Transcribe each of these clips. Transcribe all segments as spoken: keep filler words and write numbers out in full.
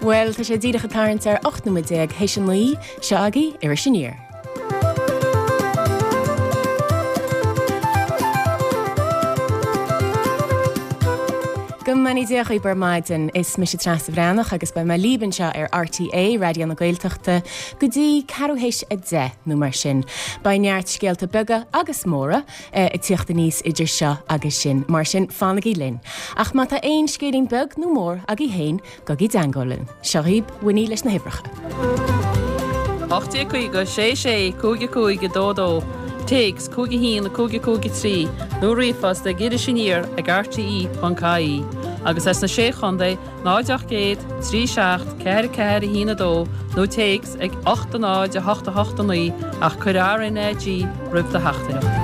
Bhuel, tá sé díreach ag tarraingt ar ocht nóiméad déag théis a naoi, seo agaibh Iris Aniar. Go mbeannaí Dia dhaoibh ar maidin, is mise Treasa Bhreathnach agus beidh mé libh anseo ar RTÉ Raidió na Gaeltachta go dtí ceathrú théis a deich nó mar sin. Beidh neart scéalta beaga agus móra ag tíocht aníos idir seo agus sin, mar sin fanaigí linn. Ach má tá aon scéilín beag nó mór agaibh féin, gabhaigí i dteangmháil linn. Seo dhaoibh Winnie leis na huimhreacha. ocht déag caoga, sé sé, cúig a cúig, a dó dó, téacs, cúig a haon, cúig a cúig a trí, nó ríomhphost ag Iris Aniar ag rte ponc ie, agus as na Sé Chontae, náid ocht gcéad, trí seacht, ceathair ceathair a haon a dó, nó téacs ag ocht a náid a hocht a hocht a naoi ach cuir RnaG roimh do theachtaireacht.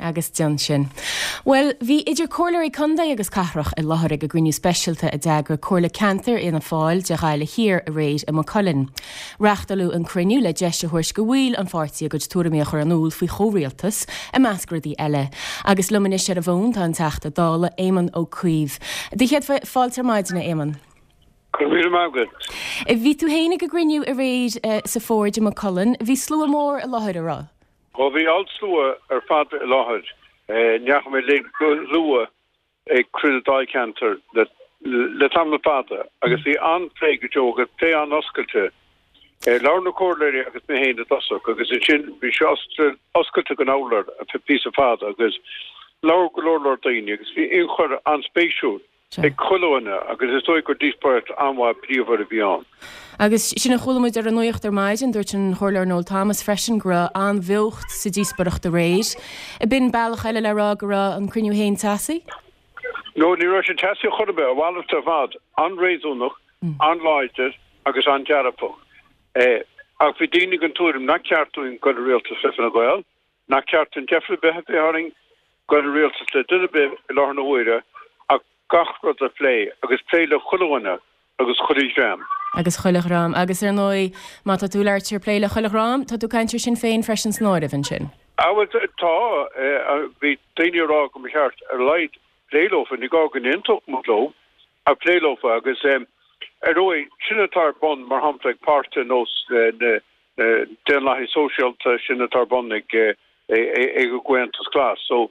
Agus déan sin. Bhuel, bhí idir comhairleoirí contae agus cathrach i láthair ag an gcruinniú speisialta a d'eagraigh Comhairle Ceantair Fhianna Fáil de Ghaillimh Thiar aréir i Maigh Cuilinn. Reáchtáladh an cruinniú le deis a thabhairt do bhaill an pháirtí a gcuid tuairimí a chur in iúl faoi chomhrialtas, i measc rudaí eile. Agus liom anois ar an bhfón tá an Teachta Dála, Éamon Ó Cuív. Do chéad fáilte ar maidin, a Éamoin. Go raibh míle maith agat. Bhí tú féin ag an gcruinniú aréir sa Forge i Maigh Cuilinn. Bhí slua mór i láthair, an raibh? Ó bhí an-slua ar fad i láthair. Ní fhaca mé a leithéid de shlua ag cruinniú dáilcheantair le tamall fada agus bhí an-phlé go deo agus plé an-oscailte. Labhair na comhairleoirí agus mé féin i dtosach agus ansin bhí sé oscailte don urlabhra ar feadh píosa fada agus labhair go leor leor daoine agus bhí ionchur an-spéisiúil ag chuile dhuine agus is dóigh gur díospóireacht an-mhaith bríomhar a bhí ann. Agus sin a chuala muid ar an nuacht ar maidin, dúirt an Comhairleoir Noel Thomas freisin go raibh an-bheocht sa díospóireacht aréir. B'in bealach eile le rá go raibh an cruinniú féin teasaí? No, ní raibh sé teasaí chor ar bith, a mhalairt ar fad, an-réasúnach, an-láidir agus an-dearfach. Ach bhí daoine den tuairim nach ceart dúinn dul i rialtas le Fine Gael, nach ceart dúinn deifir ar bith a bheith orainn dul i rialtas le duine ar bith i láthair na huaire ach gach rud a phlé agus plé le chuile dhuine agus chuile dhream. Agus chuile dhream. Agus ar ndóigh, má tá tú ag labhairt ar plé le chuile dhream, tá tú ag caint ar Sinn Féin freisin san áireamh ansin. Á bhuel, tá. Bhí daoine ag rá go mba cheart ar a laghad plé leofa, ní gá go n-aontódh muid leo, ach plé leofa agus ar ndóigh, sin atá ar bun mar shampla ag páirtithe ar nós na Daonlathaithe Sóisialta, sin atá ar bun ag an gComhaontas Glas. So,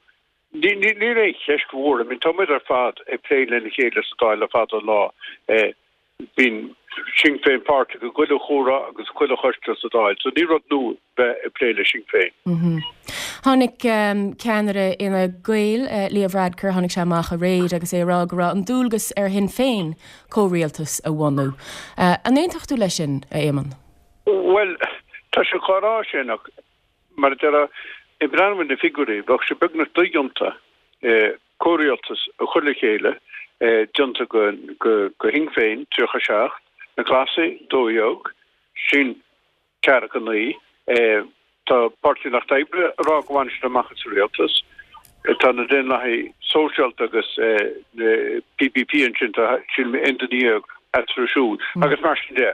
Níl aon cheist mhór. I mean, tá muid ar fad ag plé lena chéile sa Dáil le fada an lá. Bíonn Sinn Féin páirteach i gchuile chomhrá agus chuile choiste sa Dáil, so ní rud nua bheith ag plé le Sinn Féin. Tháinig ceannaire Fhine Gael, Leo Varadkar, tháinig sé amach aréir agus é ag rá go raibh an dualgas ar Shinn Féin comhrialtas a bhunú. An aontódh tú leis sin, a Éamoin? Bhuel, tá sé chomh rá sin ach Mar a déarfá, ag breathnú ar na figiúirí, bheadh sé beagnach dodhéanta comhrialtas a chur le chéile, déanta go Shinn Féin, tríocha a seacht, na Glasaigh, dó dhéag, sinn ceathracha a naoi. Tá Páirtí an Lucht Oibre ag rá go bhfanfaidh siad amach as an rialtas. Tá na Daonlathaithe Sóisialta agus na PPP ansin, tá sílim aon duine dhéag eatarthu siúd agus mar sin de.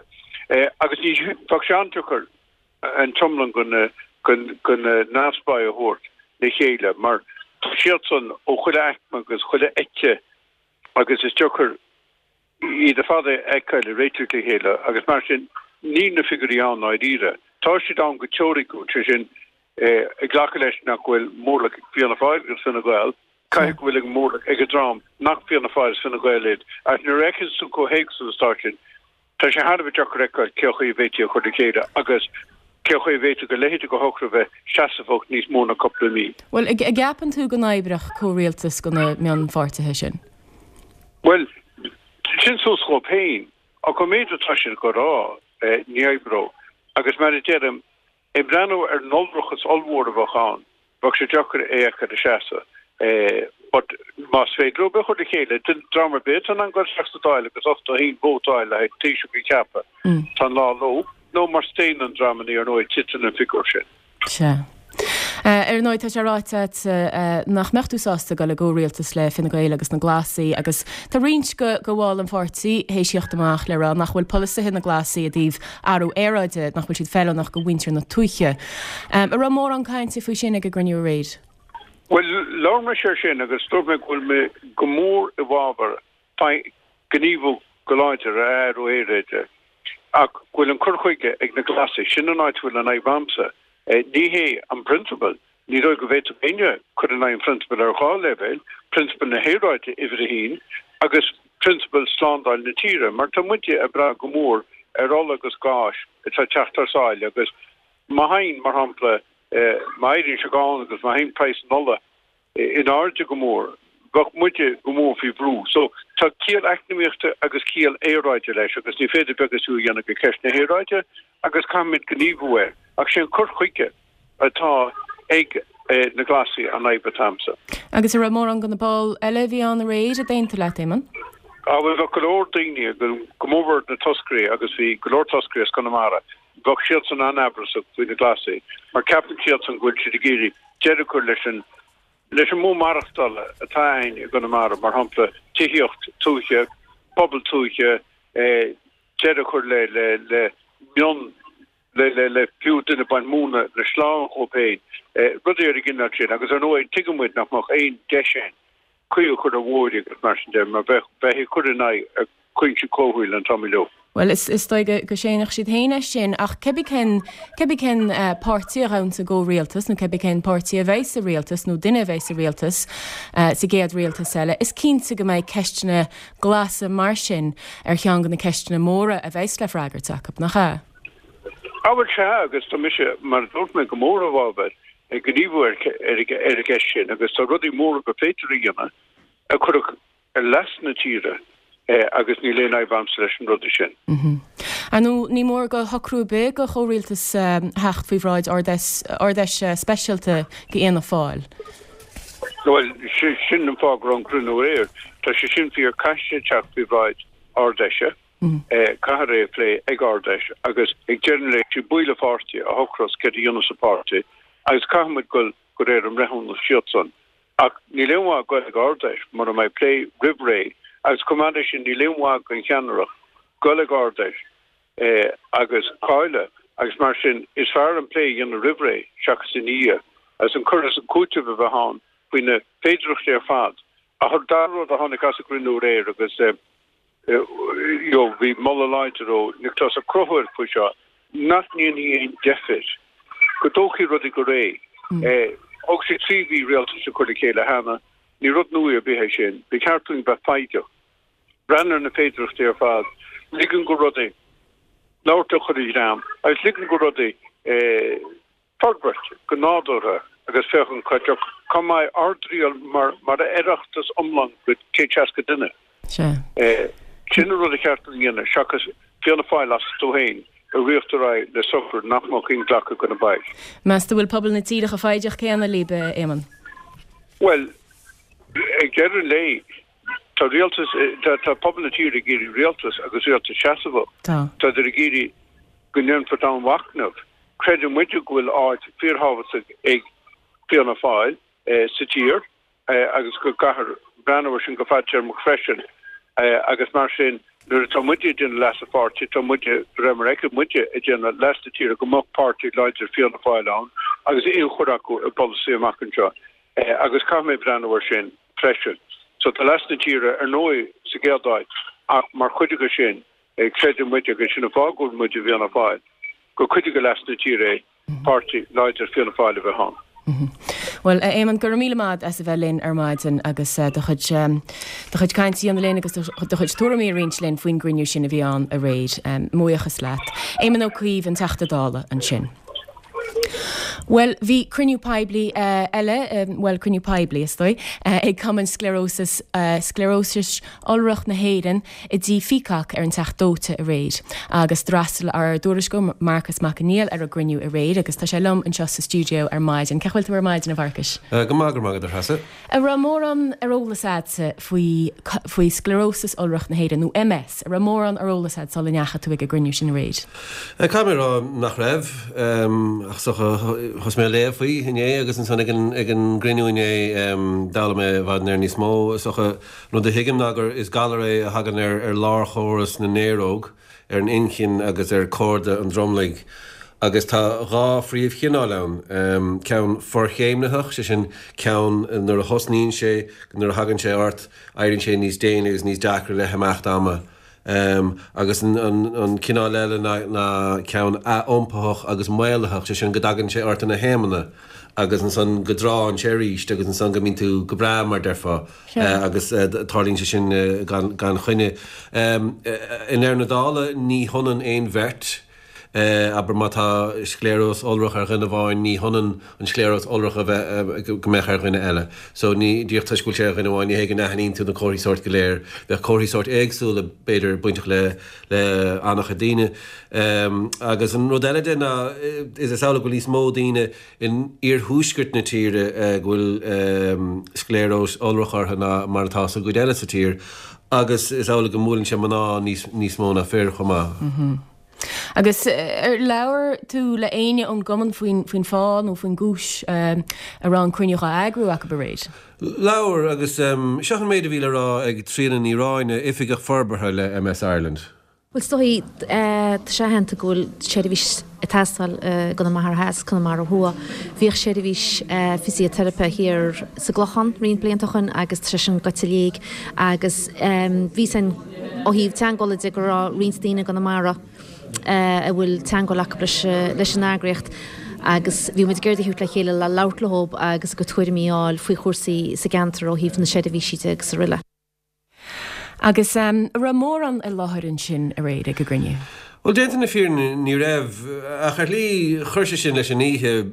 Agus ní bheadh sé an-deacair an t-iomlán de na neamhspleáigh a thabhairt le chéile mar tá siadsan ó chuile aicme agus chuile eite agus is deacair iad ar fad a fheiceáil ag réiteach le chéile agus mar sin níl na figiúirí ann ndáiríre. Tá siad ann go teoiriciúil, sé sin ag glacadh leis nach bhfuil mórlach ag Fianna Fáil agus Fine Gael, caithfidh go bhfuil ag mórlach ag an dream nach Fianna Fáil is Fine Gael iad ach nuair a fheiceann tú chomh héagsúil is atá sin, Tá sé thar a bheith deacair a fheiceáil cén chaoi a bhféadfaí a chur le chéile agus cén chaoi a bhféadfadh a leithéid de shocrú a bheith seasmhach níos mó ná cúpla mí. Bhuel, an gceapann tú go n-oibreodh comhrialtas de na mionpháirtithe sin? Bhuel, sin suas dhóibh féin. Ach an méid atá siad ag rá, ní oibreodh. Agus mar a deirim, Ag breathnú ar an iolrachas ollmhór a bheadh ann, bheadh sé deacair é a fheiceáil ag seasamh. But más féidir leo é a chur le chéile, dream ar bith atá in ann dul isteach sa Dáil agus ochtó a haon vóta a fháil le haghaidh Taoiseach a cheapadh, tá an lá leo, nó má staonann dreamanna ar ndóigh titeann an figiúr sin. Sea. Ar ndóigh, tá sé ráite agat nach mbeadh tú sásta dul i gcomhrialtas le Fine Gael agus na Glasaigh agus tá roinnt de bhaill an pháirtí théis theacht amach le rá nach bhfuil polasaithe na nGlasaí i dtaobh athrú aeráide, nach bhfuil siad feiliúnach do mhuintir na tuaithe. An raibh mórán cainte faoi sin ag an gcruinniú aréir? Bhuel, labhair mise air sin agus dúirt mé go bhfuil mé go mór i bhfabhar gníomhú go láidir ar athrú aeráide ach go bhfuil an cur chuige ag na Glasaigh, sin an áit a bhfuil an fhadhb a'msa. Ní hé an prionsabal, ní dóigh go bhféadfadh éinne cur in aghaidh an phrionsabail ar dhá leibhéal, prionsabal na haeráide uimhir a haon agus prionsabal slándáil na tíre, mar tá muide ag brath go mór ar ola agus gás atá ag teacht thar sáile agus má théann, mar shampla, má éiríonn sé gann agus má théann praghas an ola in airde go mór, bheadh muide go mór faoi bhrú. So, tá ciall eacnamaíochta agus ciall aeráide leis agus ní féidir beag is fiú a dhéanamh de cheist na haeráide agus caithfimid gníomhú air. Ach sé an cur chuige atá ag na Glasaigh an fhadhb atá a'msa. Agus an raibh mórán de na baill eile a bhí ann aréir a d'aontaigh leat, Éamonn? Á, bhuel, bheadh go leor daoine, go mórmhór na toscairí agus bhí go leor toscairí as Conamara, bheadh siadsan an-amhrasach faoi na Glasaigh mar ceapann siadsan go bhfuil siad ag iarraidh deireadh a chur leis an leis an modh maireachtála atá againn i gConamara, mar shampla tithíocht tuaithe, pobal tuaithe, deireadh a chur le le le mion le le le fiú duine ag baint móna le sleán dhóibh féin, rudaí ar an gcineál sin. Agus ar ndóigh tuigeann muid nach mbeadh aon deis againn caoi a chur ar bhóithre agus mar sin de mar bheadh bheifí ag cur in aghaidh cúinsí comhshaoil an t-am uilig. Bhuel, is is dóigh go séanfadh siad féin é sin, ach cébí cén cébí cén páirtí a ghabhann sa gcomhrialtas nó cébí cén páirtí a bheidh sa rialtas nó duine a bheidh sa rialtas sa gcéad rialtas eile, is cinnte go mbeidh ceisteanna glasa mar sin ar cheann de na ceisteanna móra a bheas le freagairt acu, nach ea? Á bhuel, sea, agus tá mise, mar a dúirt mé, go mór i bhfabhar gníomhú ar ar an gceist sin agus tá rudaí móra gur féidir a dhéanamh a chuirfeadh ar leas na tíre agus níl aon fhadhb a'msa leis an rudaí sin. Ar ndóigh, ní mór do shocrú ar bith do chomhrialtas theacht faoi bhráid Ard-Fheis speisialta d'Fhianna Fáil. Bhuel, sin an fáth go raibh an cruinniú aréir. Tá sé sin fíor, caithfidh sé teacht faoi bhráid Ard-Fheise, caithfear é a phlé ag Ard-Fheis agus ag deireadh an lae is iad baill an pháirtí a shocrós céard a dhéanfas an páirtí agus caithfidh muid dul de réir a mbreithiúnas siadsan. Ach níl aon mhaith goil ag Ard-Fheis mura mbeidh plé roimh ré agus chomh maith leis sin níl aon mhaith don cheannaireacht goil ag Ard-Fheis agus cailleadh agus mar sin is fearr an plé a dhéanamh roimh ré seachas ina dhiaidh agus an cur is an cúiteamh a bheith ann faoi na féidearthachtaí ar fad. Ach an dara rud a tháinig as an gcruinniú aréir agus you know bhí moladh láidir ó Nioclás Ó Conchúir faoi seo, nach ndéanfaí aon deifir, go dtógfaí rudaí go réidh. Thóg sé trí mhí rialtas a chur le chéile cheana, ní rud nua ar bith é sin. Ba cheart dúinn bheith foighdeach, breathnú ar na féidearthachtaí ar fad, ligean do rudaí labhairt le chuile dhream agus ligean do rudaí forbairt go nádúrtha agus féachaint cá mbeidh ár dtriall mar mar Oireachtas iomlán de céad seasca duine. Sea. Sin an rud ba cheart dúinn a dhéanamh seachas Fianna Fáil astu féin a ritheacht ar aghaidh le socrú nach mbeadh inghlactha do na baill. Meas tú bhfuil pobal na tíre chomh foighdeach céanna libh, a Éamoinn? Bhuel, ag deireadh an lae, tá rialtas, tá pobal na tíre ag iarraidh rialtas agus rialtas seasmhach. Tá. Táthar ag iarraidh go ndéanfar domhainmhachnamh. Creideann muide go bhfuil áit fíorthábhachtach ag Fianna Fáil sa tír agus go gcaithfear breathnú air sin go fadtéarmach freisin agus mar sin nuair atá muide ag déanamh leas an pháirtí, tá muide, de réir mar a fheiceann muide, ag déanamh leas na tíre go mbeadh páirtí láidir Fianna Fáil ann agus ionchur acu i bpolasaí amach anseo agus caithfidh mé breathnú air sin freisin. So tá leas na tíre ar ndóigh sa gcéad áit ach mar chuid de sin creideann muide, agus sin an fáth go bhfuil muid i bhFianna Fáil, gur cuid de leas na tíre é páirtí láidir Fianna Fáil a bheith ann. Bhuel, a Éamoinn, go raibh míle maith as a bheith linn ar maidin agus do chuid do chuid cainte a dhéanamh linn agus do chuid tuairimí a roinnt linn faoin gcruinniú sin a bhí ann aréir. Mo bhuíochas leat. Éamon Ó Cuív, an Teachta Dála, ansin. Bhuel, bhí cruinniú poiblí eile, bhuel, cruinniú poiblí, is dóigh, ag Cumann Sclearósais, Sclearósais Iolrach na hÉireann i dTigh Pheacock ar an Teach Dóite aréir agus d'fhreastail ár dtuairisceoir Marcas Mac Conghail ar an gcruinniú aréir agus tá sé liom anseo sa stiúideo ar maidin. Cén chaoi a bhfuil tú ar maidin, a Mharcais? Go maith, go raibh maith agat, a Threasa. An raibh mórán ar eolas agatsa faoi faoi Sclearósas Iolrach na hÉireann, nó MS? An raibh mórán ar eolas agat sula ndeachaigh tú ag an gcruinniú sin aréir? Caithfidh mé a rá nach raibh, ach is dócha thosaigh mé a léamh faoi inné agus ansan ag an ag an gcruinniú inné d'fhoghlaim mé i bhfad níos níos mó. Is dócha an rud a thuigim ná gur is galar é a thagann ar ar lárchóras na néaróg, ar an inchinn agus ar chorda an dromlaigh Agus tá dhá phríomhchineál ann, ceann forchéimnitheach, sé sin ceann nuair a thosnaíonn sé, nuair a thagann sé ort, éiríonn sé níos déine agus níos deacra le himeacht ama, agus an cineál eile ná ceann ath-iompaitheach agus maolaitheach, sé sin go dtagann sé ort ina thaomanna agus ansan go dtránn sé arís agus ansan go mbíonn tú go breá mar déarfá agus tarlaíonn sé sin gan choinne. I ndeireadh na dála ní hionann aon bheirt. Abair má tá scléaróis iolrach ar dhuine amháin, ní hionann an scléaróis iolrach a bheith, go mbeadh ar dhuine eile. So ní, díreach toisc go bhfuil sé ar dhuine amháin, ní hé go n-aithníonn tú na comharthaí sóirt go léir. Bheadh comharthaí sóirt éagsúla, b'fhéidir, bainteach le, le an-chuid daoine. Agus an rud eile de ná, is amhlaidh go bhfuil níos mó daoine in iarthuaisceart na tíre go bhfuil scléaróis iolrach orthu ná mar atá sa gcuid eile sa tír. Agus is amhlaidh go mbuaileann sé mná níos, níos mó ná fir chomh maith. Agus ar labhair tú le éinne ón gcumann faoin faoin fáth nó faoin gcúis a raibh an cruinniú á eagrú acu aréir? Labhair, agus seo an méid a bhí le rá ag Tríona Ní Ráinne, Oifigeach Forbartha le MS Ireland. Bhuel, is dóigh, tá sé aitheanta go bhfuil seirbhís ag teastáil i gConamara Theas, Conamara Thuaidh. Bhíodh seirbhís fisiteiripe thiar sa gClochán roinnt blianta ó shin agus tá sé sin gaibhte i léig agus bhí sin ó thaobh teagmhála de go raibh roinnt daoine i gConamara a bhfuil teagmháil acu leis an eagraíocht agus bhí muid ag iarraidh a theacht le chéile le labhairt leo agus a gcuid tuairimí a fháil faoi chúrsaí sa gceantar ó thaobh na seirbhísí de agus araile. Agus an raibh mórán i láthair ansin aréir ag an gcruinniú? Bhuel, déanta na fírinne, ní raibh, ach ar shlí chuir sé sin leis an oíche.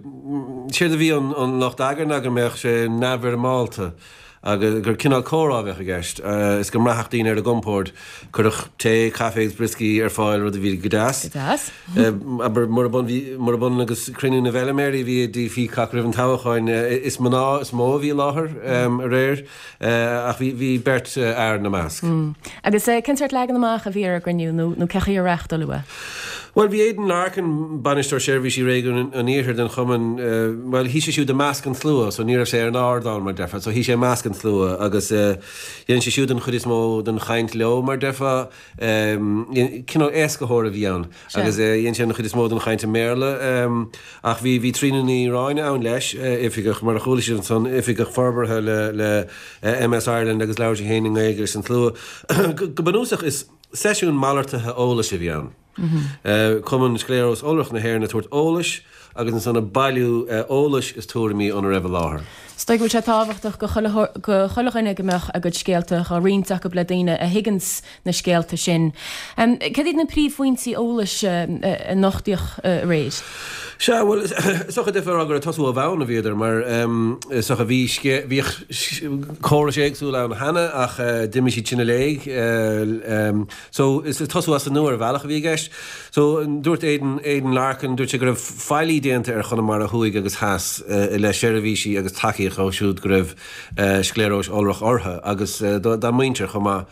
Séard a bhí ón lucht eagair ná go mbeadh sé neamhfhoirmeálta. agus gur cineál comhrá a bheadh i gceist, is go mbraithfeadh daoine ar a gcompord. Cuireadh tae, caife agus brioscaí ar fáil, rud a bhí go deas. Go deas. Abair, murab ionann agus cruinniú na bhfeilméaraí a bhí i dTigh Peacock roimh an toghchán, is mná is mó a bhí i láthair aréir, ach bhí beirt fhear ina measc. Agus cén sórt leagan amach a bhí ar an gcruinniú nó cé chaoi ar reáchtáladh é? Bhuel, bhí Aidan Larkin, Bainisteoir Seirbhísí Réigiún an Iarthair den Chumann, bhuel, shuigh sé siúd i measc an tslua, so ní raibh sé ar an ardán, mar déarfá, so shuigh sé i measc an tslua agus dhein sé siúd an chuid is mó den chaint leo, mar déarfá. Cineál éascaitheoir a bhí ann agus dhein sé an chuid is mó den chaint i mBéarla ach bhí, bhí Tríona Ní Ráinne ann leis, oifigeach, mar a chuala sibh ansan, oifigeach forbartha le, le MS Ireland agus labhair sí féin i nGaeilge leis an tslua. Go bunúsach is seisiún malartaithe eolais a bhí ann. Cumann Scléaróis Iolrach na hÉireann ag tabhairt eolais agus ansan ag bailiú eolais is tuairimí óna raibh i láthair. Is dóigh go bhfuil sé tábhachtach go chuile dhuine go mbeadh a gcuid scéalta á roinnt acu le daoine a thuigeanns na scéalta sin. Cad iad na príomhphointí eolais a nochtaíodh aréir? Sea, bhuel, is dócha d'fhéadfá a rá gur ag tosú ó bhonn a bhíodar mar is dócha bhí bhíodh córais éagsúla ann cheana ach d'imigh siad sin i léig. So, is tosú as an nua ar bhealach a bhí i gceist. So, dúirt Aidan, Aidan Larkin, dúirt sé go raibh faillí déanta ar Chonamara Thuaidh agus Theas i leith seirbhísí agus tacaíocht dóibh siúd go raibh scléaróis iolrach orthu agus dá muintir chomh maith.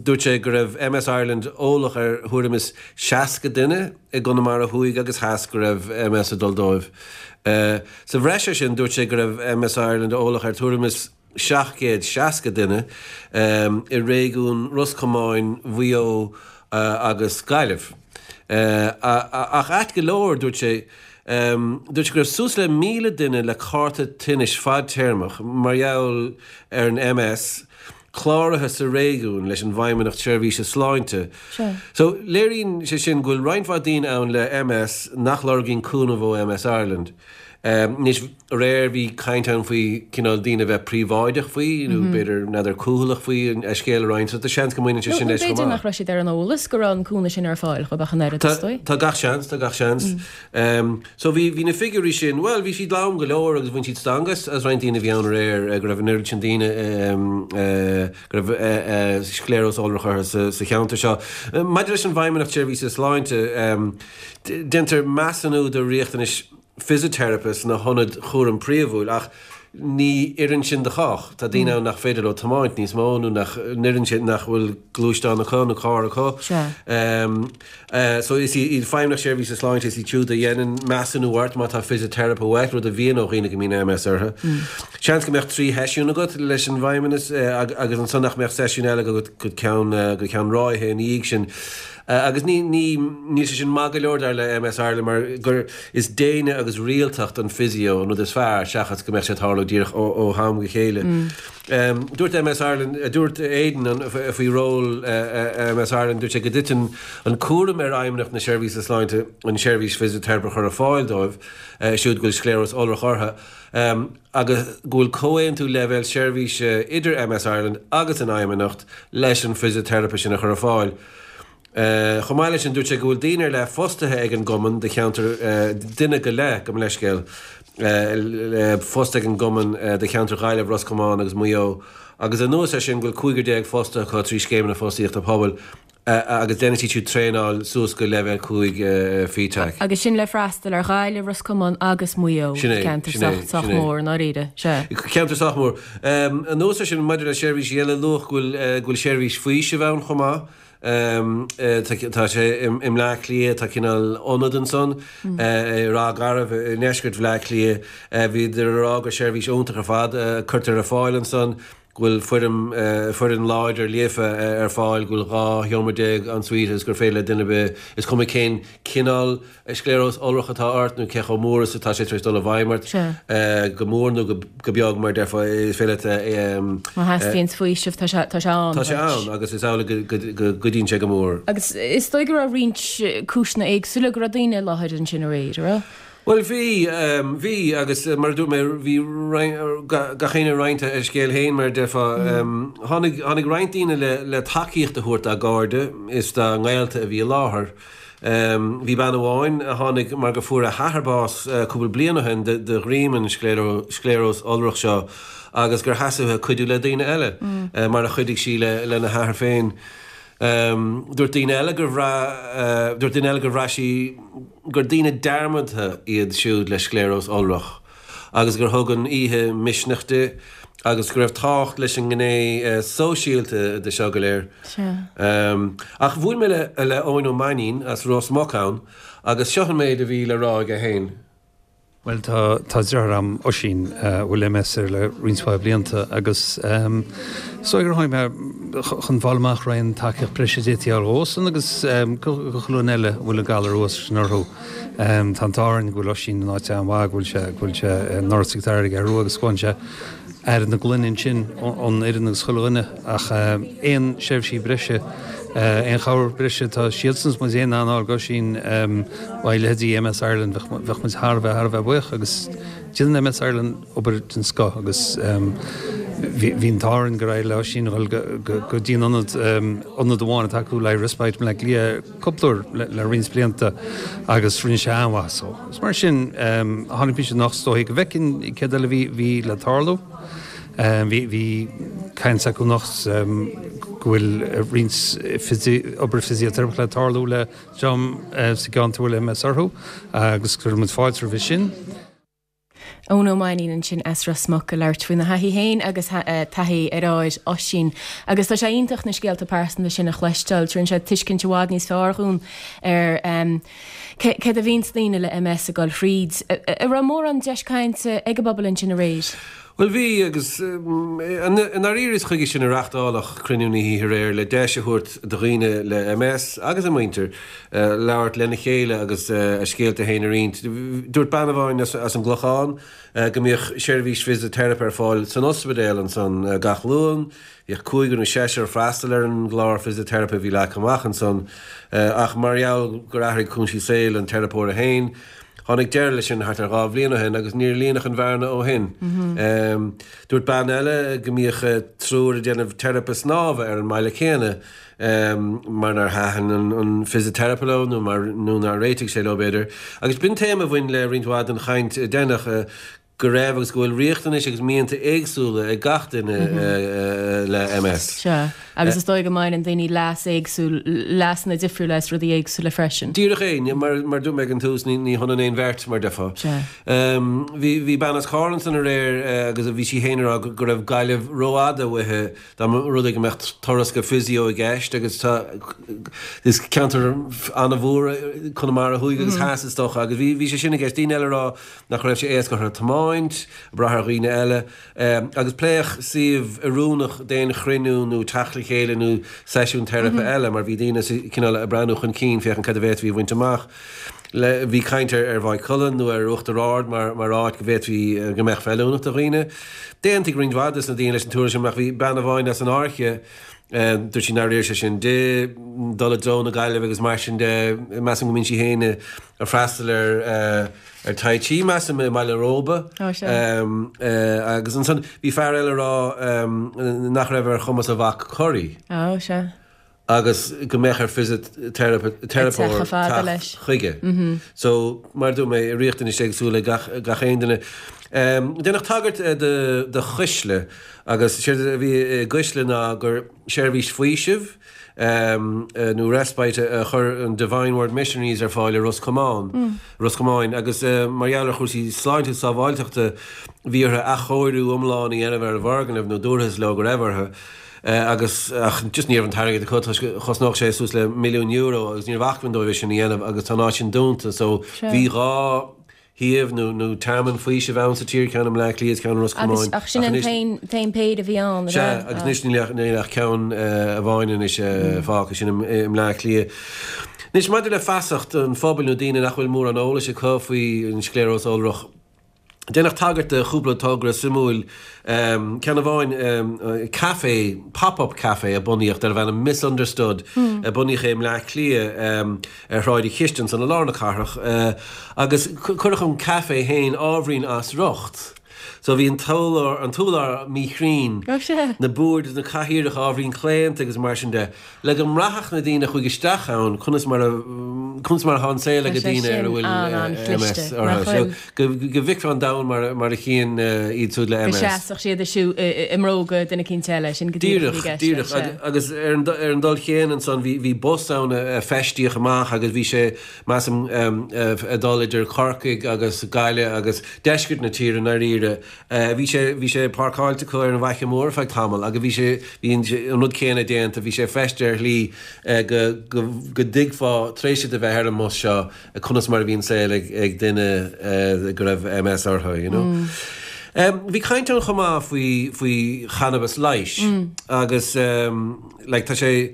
Dúirt sé go raibh MS Ireland eolach ar thuairim is seasca duine i gConamara Thuaidh agus Theas go raibh MS ag dul dóibh. Sa bhreis air sin, dúirt sé go raibh MS Ireland eolach ar tuairim is seacht gcéad seasca duine i réigiún Ros Comáin, Mhaigh Eo agus Gaillimh. Ach ait go leor, dúirt sé, dúirt sé go raibh suas le míle duine le cárta tinnis fadtéarmach mar gheall ar an MS cláraithe sa réigiún leis an bhFeidhmeannacht Seirbhíse Sláinte. So, léiríonn sé sin go bhfuil roinnt mhaith daoine ann le MS nach lorgaíonn cúnamh ó MS Ireland. Anois, aréir bhí caint ann faoi cineál daoine a bheith príobháideach faoi, nó b'fhéidir, n'fheadar, cúthaileach faoi a scéal a roinnt, so tá seans go mbaineann sé sin Nó leis chomh b'fhéidir maith. nach raibh siad ar an eolas go raibh an cúnamh sin ar fáil dhóibh ach an oiread, is dóigh. Tá gach seans, tá gach seans. So bhí, bhí na figiúirí sin, bhuel, bhí siad lom go leor agus bhain siad stangadh as, as roinnt daoine a bhí ann aréir, go raibh an oiread sin daoine, go raibh scléaróis iolrach orthu sa, sa cheantar seo. Maidir leis an bhFeidhmeannacht Seirbhíse Sláinte, déantar measúnú do riachtanais fisiteiripe sna hionaid chúraim phríomhúil ach ní oireann sin do chách. Tá daoine ann nach féidir leo tiomáint níos mó nó nach n-oireann sé, nach bhfuil gluaisteán acu nó carr acu. So is iad Feidhmeannacht Seirbhíse Sláinte, is iad siúd a dhéanann measúnú ort má tá fisiteiripe uait, rud a bhíonn ó dhaoine go mbíonn MS orthu. Seans go mbeadh trí sheisiún agat leis an bhFeidhmeannas agus ansan nach mbeadh seisiún eile agat go ceann, go ceann ráithe ina dhiaidh sin. Agus ní ní níl sé sin maith go leor dar le MS Ireland mar gur is déine agus rialtacht an physio an rud is fearr seachas go mbeadh sé ag tarlú díreach ó ó ham go chéile. Um, dúirt MS Ireland, dúirt Aidan faoi ról MS Ireland, dúirt sé go dtiteann an cúram ar Fheidhmeannacht na Seirbhíse Sláinte an seirbhís fisiteiripe a chur ar fáil dóibh siúd go bhfuil scléaróis iolrach orthu. Um, agus go bhfuil comhaontú leibhéal seirbhíse idir MS Ireland agus an Fheidhmeannacht leis an fisiteiripe sin a chur ar fáil. Uh, chomh maith leis sin dúirt sé go bhfuil daoine ar leith fostaithe ag an gcumann do cheantar uh, duine go leith go leithscéal uh, fostaithe ag an gcumann uh, do cheantar Ghaillimh Ros Comáin agus Maigh Eo agus anuas air sin go bhfuil cúigear déag fostaithe acu trí scéimeanna fostaíochta pobail uh, agus déanann siad siúd traenáil suas go leibhéal cúig uh, FETAC. Agus sin le freastal ar Ghaillimh Ros Comáin agus Maigh Eo Sin é, ceantar sin é, sách sách sin é. mór ndáiríre sea. Ceantar sách mór. Um, anuas air sin maidir le seirbhísí eile luadh go bhfuil uh, go bhfuil seirbhís faoisimh ann chomh maith. Um, uh, tá tá sé i i mBleá Cliath tá cineál ionad ansan mm. uh, Ráth Garbh i ndeisceart Bhleá Cliath uh, bhíodar ag rá gur seirbhís iontach ar fad uh, cuirtear ar fáil ansan go bhfuil foireann uh, foireann láidir líofa uh, ar fáil go bhfuil dhá sheomra déag en-suite is gur féidir le duine ar bith is cuma cén cineál scléaróis iolrach atá ort nó cé chomh mór is atá sé tar éis dul i bhfeidhm ort Sea. uh, go mór nó go, go beag mar deirfá is féidir leat um, Má theastaíonn faoiseamh tá sé tá sé ann. Tá sé ann agus is amhlaidh go, go, go gcuidíonn sé go mór. Agus is dóigh go raibh roinnt cúiseanna éagsúla go raibh daoine i láthair ansin aréir, raibh? Well bhí um, bhí agus uh, mar a dúirt mé bhí gach éinne ag roinnt a scéal féin mar deirfá um, tháinig tháinig roinnt daoine le, le tacaíocht a thabhairt dá gcairde is dá ngaolta a bhí i láthair. Um, bhí bean amháin a tháinig mar go fuair a hathair bás uh, cúpla bliain ó shin de, de dhroim an scléaróis iolrach seo agus gur theastaigh uaithi cuidiú le daoine eile mm. uh, mar a chuidigh sí le, lena hathair féin. Um, dúirt daoine eile gur bhraith uh, dúirt daoine eile gur bhraith sí gur daoine dearmadta iad siúd le scléaróis iolrach agus gur thug an oíche misneach di agus go raibh tábhacht leis an ngné uh, sóisialta de seo go léir. Sea. Um, ach bhuail mé le, le Eoin Ó Mainín as Ros Muc ann agus seo an méid a bhí le rá aige féin. Well tá tá deartháir a'm Oisín uh, bhfuil MS air le roinnt mhaith blianta agus um, so gur tháinig mé chun fáil amach raon tacaíocht breise d'fhéadfaí a fháil dhósan agus um, go chuile dhuine eile bhfuil an galar uas sin orthu. Um, tá an t-ádh orainn go bhfuil Oisín in áit an-mhaith go bhfuil sé go bhfuil sé in Áras Ag Rua agus go sé ar na glúine sin ón fhoireann agus chuile dhuine ach aon seirbhísí breise aon chabhair breise tá siadsan muid aon anáil go sin leithéidí MS Ireland bheadh muid thar a bheith thar a bheith buíoch agus déanann MS Ireland obair den scoth agus bhí an t-ádh orainn gur éirigh le sin go dtí an ionad ionad amháin atá le respite le lia cúpla le roinnt blianta agus rinne sé an-mhaith so. Is mar sin tháinig mise nach stóigh go bhfeicfinn céard eile bhí bhí le tarlú. Bhí bhí caint acu anocht go bhfuil roinnt obair fisiteiripeach le tarlú le dream sa gceantar le MS orthu agus chuir muid fáilte roimhe sin. Eoin Ó Mainín ansin as Ros Muc ag labhairt faoina thaithí féin agus taithí a dheartháir Oisín. Agus tá sé iontach na scéalta pearsanta sin a chloisteáil, tugann sé tuiscint i bhfad níos fearr dhúinn ar um, céard a bhíonn daoine le MS ag dul thríd. An raibh mórán deis cainte ag an bpobal ansin aréir. Well bhí agus i ndáiríre is chuige sin a reáchtáladh cruinniú na hoíche aréir le deis a thabhairt do dhaoine le MS agus a muintir labhairt lena chéile agus a scéalta féin a roinnt. Dúirt bean amháin as, as an gClochán go mbíodh seirbhís fisiteiripe ar fáil san ospidéal ansan gach Luan, Bhíodh cúigear nó seisear ag freastal ar an gclár fisiteiripe a bhí leagtha amach ansan ach mar gheall gur athraigh cúinsí saoil an teiripeora féin, Tháinig deireadh leis sin thart ar dhá bhliain ó shin agus níor líonadh an bhearna ó shin. Mm-hmm. Dúirt bean eile go mbíodh triúr ag déanamh teiripe snámha ar an mbaile céanna um, mar nár thaitin an, an fisiteiripe leo nó mar nó nár réitigh sé leo b'fhéidir. Agus b'in téama a bhain le roinnt mhaith den chaint déanach uh, go raibh agus go bhfuil riachtanais agus mianta éagsúla ag gach duine mm -hmm. uh, le MS. Sea. Agus is dóigh go mbaineann daoine leas éagsúil leasanna difriúla as rudaí éagsúla freisin. Díreach é, mar mar dúirt mé ag an tús ní ní hionann aon bheirt mar déarfá. Um, bhí bhí bean as Carn ansan aréir uh, agus bhí sí féin ag rá go raibh Gaillimh rófhada uaithi dá mba rud é go mbeadh turas go physio i gceist agus tá is ceantar an-mhór Conamara thuaidh agus theas is dócha agus bhí bhí sé sin i gceist daoine eile ag rá nach raibh sé éasca orthu tiomáint, brath ar dhaoine eile um, agus pléadh suíomh oiriúnach d'aon chruinniú nó teacht le a chéile nó seisiún teiripe eile mar bhí daoine cineál ag breathnú chun cinn féachaint cad a bhféadfaí a bhaint amach. Le, bhí caint ar ar Mhaigh Cuilinn nó ar Uachtar Ard mar mar áit go bhféadfaí go mbeadh feiliúnach do dhaoine. D'aontaigh roinnt mhaith de na daoine leis an tuairim ach bhí bean amháin as an Fháirche dúirt sí nár oir sé sin di dul i dtreo na Gaillimhe agus mar sin de measaim go mbíonn sí féin ag freastal ar ar Tai Chi measaim i mBaile Róba agus ansan bhí fear eile ag rá nach raibh ar chumas a mhac corraí. Ó sea. agus go mbeadh ar fisiteiripeoir teacht chuige. So, mar a dúirt mé, riachtanais éagsúla ag gach aon duine. Déanadh tagairt do Chuisle agus séard a bhí i gCuisle ná gur seirbhís faoisimh nó respite a chuir an Divine Word Missionaries ar fáil i Ros Comáin, Ros Comáin agus mar gheall ar chúrsaí sláinte is sábháilteachta bhí orthu athchóiriú iomlán a dhéanamh ar an bhfoirgneamh nó dúrthas leo go raibh orthu. Agus ach just ní raibh an t-airgead acu toisc chosnódh sé suas le milliún euro agus ní raibh acmhainn dóibh é sin a dhéanamh agus tá an áit sin dúnta so bhí dhá shuíomh nó nó tearmann faoisimh ann sa tír, ceann i mBleá Cliath is ceann i Ros Agus Comáin ach sin an t-aon t-aon péire a bhí ann, Sea, agus anois níl ach níl ach ceann amháin anois fágtha, sin i mBleá Cliath. Anois maidir le feasacht an phobail nó daoine nach bhfuil mórán eolais acu faoi an scléaróis iolrach, Déanadh tagairt do chúpla togra suimiúil, ceann amháin caife, pop-up caife a bunaíodh darbh ainm Misunderstood, a bunaíodh é i mBleá Cliath ar Shráid an Chiste ansan i lár na cathrach agus cuireadh an caife féin ábhairín as riocht. So bhí an t-urlár, an t-urlár míchruinn, na boird is na cathaoireacha ábhairín claonta agus mar sin de. Le go mbraithfeadh na daoine a chuaigh isteach ann conas mar a conas mar atá an saol ag daoine ar a bhfuil MS orthu. Go bhfeicfeá an domhan mar mar a chíonn iad siúd le MS. Go seasfadh siad i mbróga duine eicínt eile, sin go díreach a bhí i gceist. Díreach, díreach. Agus ar an ar an dul chéanna ansan bhí bhí bus ann a feistíodh amach agus bhí sé measaim ag dul idir Corcaigh agus Gaillimh agus deisceart na tíre i ndáiríre. Bhí sé, bhí sé páirceáilte acu ar an bhFaiche Mhór ar feadh tamaill agus bhí sé, bhí an, an rud céanna déanta, bhí sé feistithe ar shlí go, go, go dtuigfeá tar éis duit a bheith ar an mbus seo conas mar a bhí an saol ag, ag duine go raibh MS orthu, you know. Bhí caint ann chomh maith faoi, faoi channabas leighis agus like tá sé,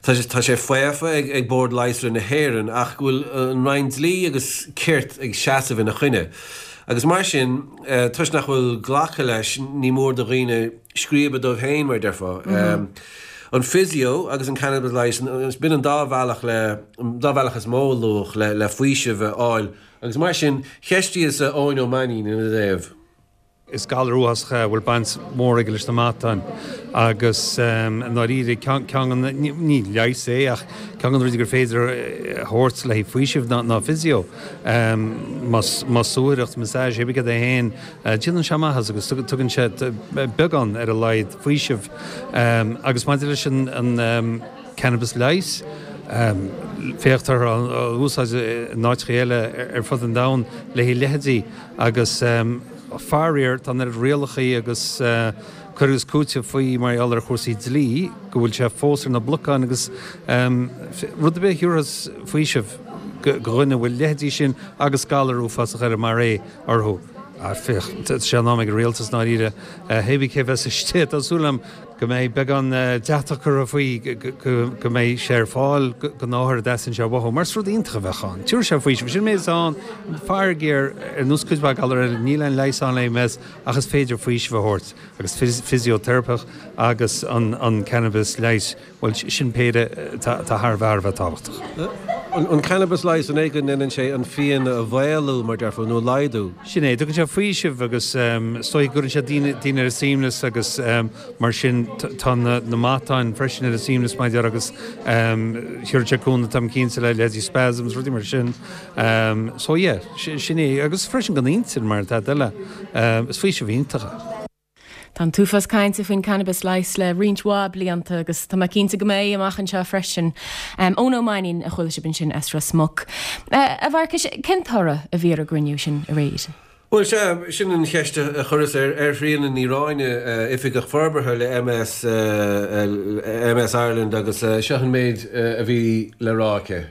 tá sé, tá sé faofa ag, ag Bord Leigheasra na hÉireann ach go bhfuil an Roinn Dlí agus Cirt ag seasamh ina choinne. Agus mar sin, toisc nach bhfuil glactha leis, ní mór do dhaoine scríobadh dóibh féin, mar a déarfá. An physio agus an cannabas leighis, b'in an dá bhealach le, an dá bhealach is mó a luadh le, le faoiseamh a fháil. Agus mar sin, cheistíos Eoin Ó Mainnín ina dtaobh. Is galar uafásach é a bhfuil baint mhór aige leis na matáin agus i ndáiríre ceann de na, ní leigheas é ach ceann de na rudaí gur féidir a thabhairt le haghaidh faoisimh ná physio. Más suathaireacht, massage, pé cad é féin, déanann sé maitheas agus tugann sé beagán ar a laghad faoisimh. Agus maidir leis an cannabas leighis, féach táthar á úsáid in áiteacha eile ar fud an domhain le haghaidh leithéidí agus, Faraor, tá an oiread rialachaí agus cur agus cúiteamh faoi mar gheall ar chúrsaí dlí go bhfuil sé fós ar na blocáin agus rud ar bith a thabharfas faoiseamh do dhuine a bhfuil leithéidí sin agus galar uafásach eile mar é orthu. Féach, tá sé in am ag an rialtas, i ndáiríre, hé bí cé bheas istigh, tá súil agam go mbeidh beagán deatach curtha faoi, go mbeidh sé ar fáil don othar a dteastaíonn sé uathu, mar is rud iontach a bheadh ann. Tabharfaidh sé faoiseamh. Sin méid atá ann. Faraor, ar nós cuid mhaith galar eile, níl aon leigheas ann le MS ach is féidir faoiseamh a thabhairt agus fisioteiripe agus an cannabas leighis. Bhuel, sin péire atá thar a bheith, thar a bheith tábhachtach. An cannabas leighis, an é go ndéanann sé an phian a mhaolú, mar déarfá, nó a laghdú? Sin é, tugann sé faoiseamh agus is dóigh go gcuireann sé daoine ar a suaimhneas agus mar sin tá na matáin freisin ar a suaimhneas mar a déarfá agus thabharfadh sé cúnamh táim cinnte le leithéidí spasms, rudaí mar sin. So yeah, sin é agus freisin don intinn mar atá eile, is faoiseamh iontach é. Tá an t-uafás cainte faoin cannabas leighis le roinnt mhaith blianta agus tá mé cinnte go mbeidh amach anseo freisin. Eoin Ó Mainnín a chuala sibh ansin as Ros Muc. A Mharcais, cén toradh a bhí ar an gcruinniú sin aréir? Bhuel, sea, sin an cheist a chuireas ar Thríona Ní Ráinne, Oifigeach Forbartha le MS, MS Ireland agus seo an méid a bhí le rá aici.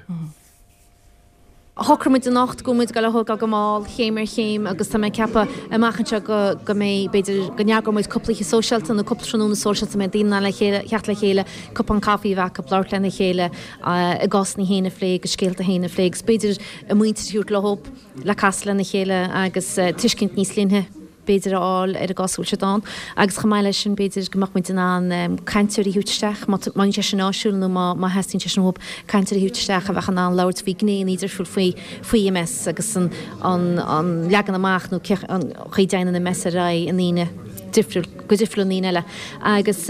Shocraigh muid anocht go bhfuil muid ag dul a thógáil go mall, chéim ar chéim, agus tá mé ag ceapadh amach anseo go go mbeidh, b'fhéidir, go n-eagróidh muid cúpla oíche sóisialta nó cúpla tráthnóna sóisialta a mbeidh daoine in ann le chéile, theacht le chéile, cupán caife a bheith acu, labhairt lena chéile, a gcásanna féin a phlé agus scéalta féin a phlé agus b'fhéidir a muintir a thabhairt leo le casadh lena chéile agus tuiscint níos doimhne. b'fhéidir a fháil ar an gcás a bhfuil siad ann agus chomh maith leis sin b'fhéidir go mbeadh muid in ann cainteoirí a thabhairt isteach má bhíonn sé sin áisiúil nó má theastaíonn sé sin uathu cainteoirí a thabhairt isteach a bheadh in ann labhairt faoi ghnéanna difriúil faoi faoi MS agus an an leagan amach nó an chaoi a dtéann an MS ar aghaidh i ndaoine difriúil go difriúil i ndaoine eile agus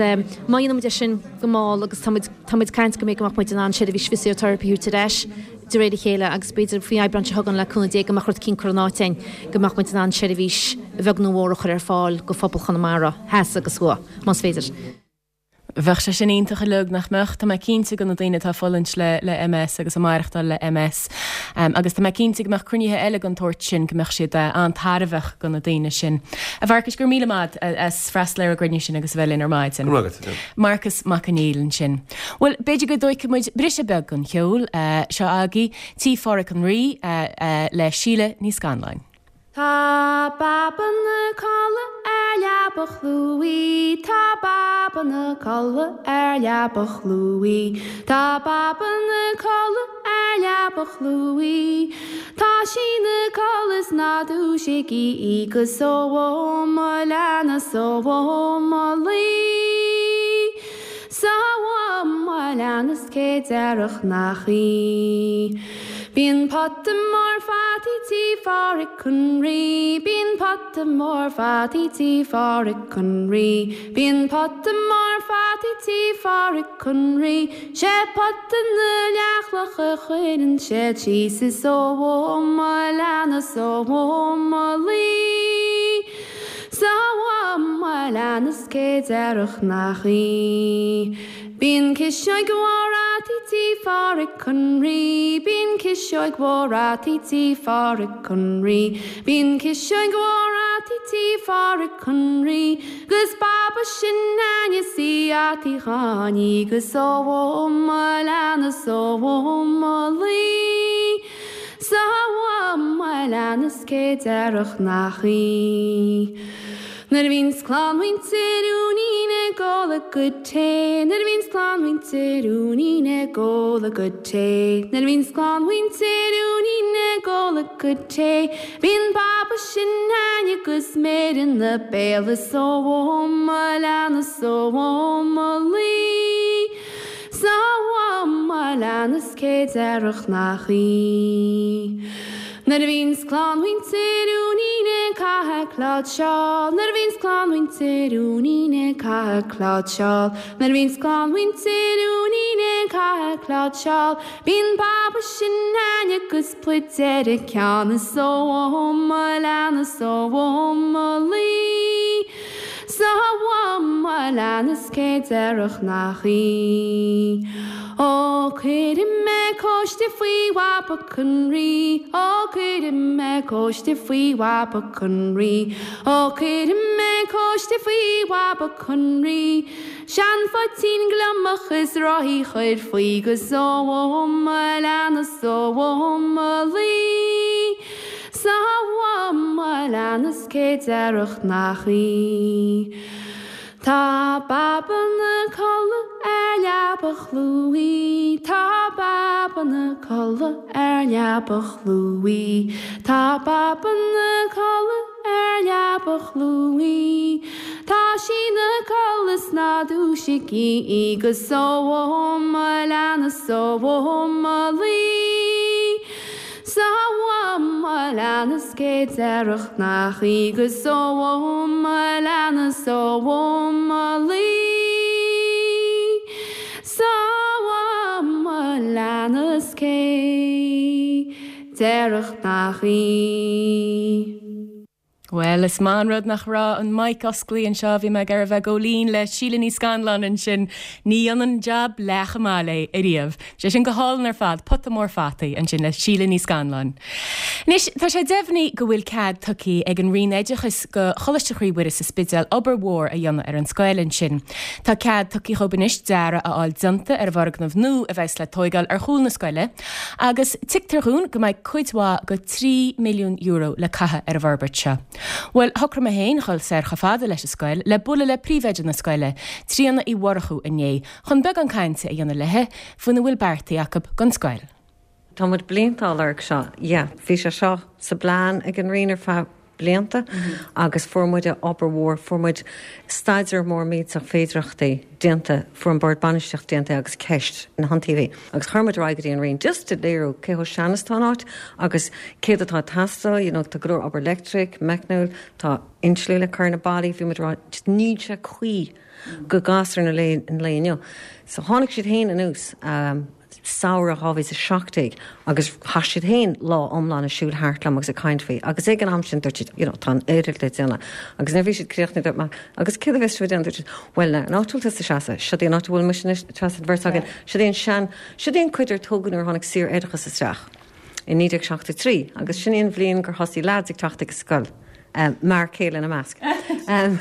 má dhéanann muid é sin go mall agus tá muid tá muid ag caint go mbeidh go mbeadh muid in ann seirbhís fisioteiripe a thabhairt ar ais de réir a chéile agus b'fhéidir faoi Aibreán seo chugainn le cúnamh Dé go mbeadh rud eicínt curtha in áit againn go mbeadh muid in ann seirbhís bheag nó mhór a chur ar fáil go phobal Chonamara, theas agus thuaidh, más féidir. Bheadh sé sin iontach uilig, nach mbeadh? Tá mé cinnte go na daoine atá ag fulaingt le le MS agus ag maireachtáil le MS agus tá mé cinnte go mbeadh cruinnithe eile den tsórt sin go mbeadh siad an-tairbheach go na daoine sin. A Mharcais, go raibh míle maith as freastal ar an gcruinniú sin agus a bheith linn ar maidin. Go raibh maith agat. Marcas Mac Conghail ansin. Bhuel, b'fhéidir go dtóigfidh muid briseadh beag don cheol. Seo agaibh Tí Pháraic an Rí le Síle Ní Scanláin. Tá Baba 'na codladh ar leaba chlúmhaigh, Tá Baba 'na codladh ar leaba chlúmhaigh, Tá Baba 'na codladh ar leaba chlúmhaigh, Tá sí 'na codladh is ná dúisigí í 'gus ó mo leana 's ó mo luí 's ó mo leana 's cé déarfadh nach í. Bíonn pota mór fataí tí Pháraic an Rí, Bíonn pota mór fataí tí Pháraic an Rí, Bíonn pota mór fataí tí Pháraic an Rí, 'Sé pota na leathchloch a chuireann siad síos is ó mo leana 's ó mo luí 's ó mo leana 's cé déarfadh nach í. Bíonn ciseog mhór fhataí tí Pháraic an Rí, Bíonn ciseog mhór fhataí tí Pháraic an Rí, Bíonn ciseog mhór fhataí tí Pháraic an Rí, 'Gus Baba sin Áine 's í fhataí Cháiní 'gus ó mo leana 's ó mo luí 's ó mo leana 's cé déarfadh nach í. Nuair a bhíonns clann mhuintir Úinín ag ól a gcuid tae, Nuair a bhíonns clann mhuintir Úinín ag ól a gcuid tae, Nuair a bhíonns clann mhuintir Úinín ag ól a gcuid tae, Bíonn Baba sin Áine 'gus méid ina béal is ó mo leana 's ó mo luí 's ó mo leana 's cé déarfadh nach í. Nuair a bhíonns clann mhuintir Úinín ag caitheamh cláirseach, Nuair a bhíonns clann mhuintir Úinín ag caitheamh cláirseach, Nuair a bhíonns clann mhuintir Úinín ag caitheamh cláirseach, Bíonn Baba sin Áine 'gus pluid ar a ceann is ó mo leana 's ó mo luí 's ó mo leana 's cé déarfadh nach í. Ó cuirfidh mé cóiste faoi Bhaba an Rí, Ó cuirfidh mé cóiste faoi Bhaba an Rí, Ó cuirfidh mé cóiste faoi Bhaba an Rí, Seanphoitín gliomach is rothaí chuir faoi 'gus ó mo leana 's ó mo luí 's ó mo leana 's cé déarfadh nach í. Tá Baba 'na codladh ar leaba chlúmhaigh, Tá Baba 'na codladh ar leaba chlúmhaigh, Tá Baba 'na codladh ar leaba chlúmhaigh, Tá sí 'na codladh 's ná dúisigí í 'gus ó mo leana 's ó mo luí 's ó mo leana 's cé déarfadh nach í 'gus ó mo leana 's ó mo luí 's ó mo leana 's cé déarfadh nach í. Well, is maith an rud nach raibh an mic oscailte anseo bhí mé ag iarraidh a bheith góilín le Síle Ní Scanláin ansin ní dhéanann jab leath chomh maith léi ariamh. Sé sin go hálainn ar fad pota mór fataí ansin le Síle Ní Scanláin. Anois tá sé deimhnithe go bhfuil cead tugtha ag an Roinn Oideachais go Choláiste Chroí Mhuire sa Spidéal obair mhór a dhéanamh ar an scoil ansin. Tá cead tugtha dhóibh anois dearadh a fháil déanta ar an bhfoirgneamh nua a bheas le tóigáil ar chúl na scoile, agus tuigtear dúinn go mbeidh cuid mhaith go trí milliún euro le caitheamh ar an bhforbairt seo. Well, shocraigh mé féin dhul soir chomh fada leis an scoil le bualadh le príomhoide na scoile, Tríona Uí Mhurchú inné, chun beagán cainte a dhéanamh léi faoina bhfuil beartaithe acu don scoil. Tá muid blianta á lorg seo, yeah, bhí sé seo sa bplean ag an Roinn ar feadh blianta agus fuair muid obair mhór, fuair muid staidéar mór millteach féidearthachtaí déanta, fuair an bord bainistíochta déanta agus ceist na hiontaobhaí. Agus chuir muid ar aghaidh go dtí an Roinn just a léiriú cé chomh sean is atá an áit agus céard atá ag teastáil, you know, tá go leor obair leictric, meicniúil, tá insliú le cur ar na ballaí, bhí muid ag rá just níl sé cuí go gasúir na lae an lae inniu. So tháinig siad féin anuas um, samhradh dhá mhíle is a seacht déag agus chaith siad féin lá iomlán ag siúl thart liom agus ag caint faoi agus ag an am sin dúirt siad you know, tá an oiread le déanamh agus nuair a bhí siad críochnaithe dúirt mé agus céard a bheas sibh ag déanamh dúirt siad well now an áit a bhfuil tusa ag seasamh seo í an áit a bhfuil mise anois ag seasamh an bheirt againn seo í an sean seo í an cuid ar tógadh nuair a tháinig saor-oideachas isteach i naoi déag seachtó trí agus sin í an bhliain gur thosaigh lads ag teacht ag an scoil. Um, mar chéile ina measc. Um,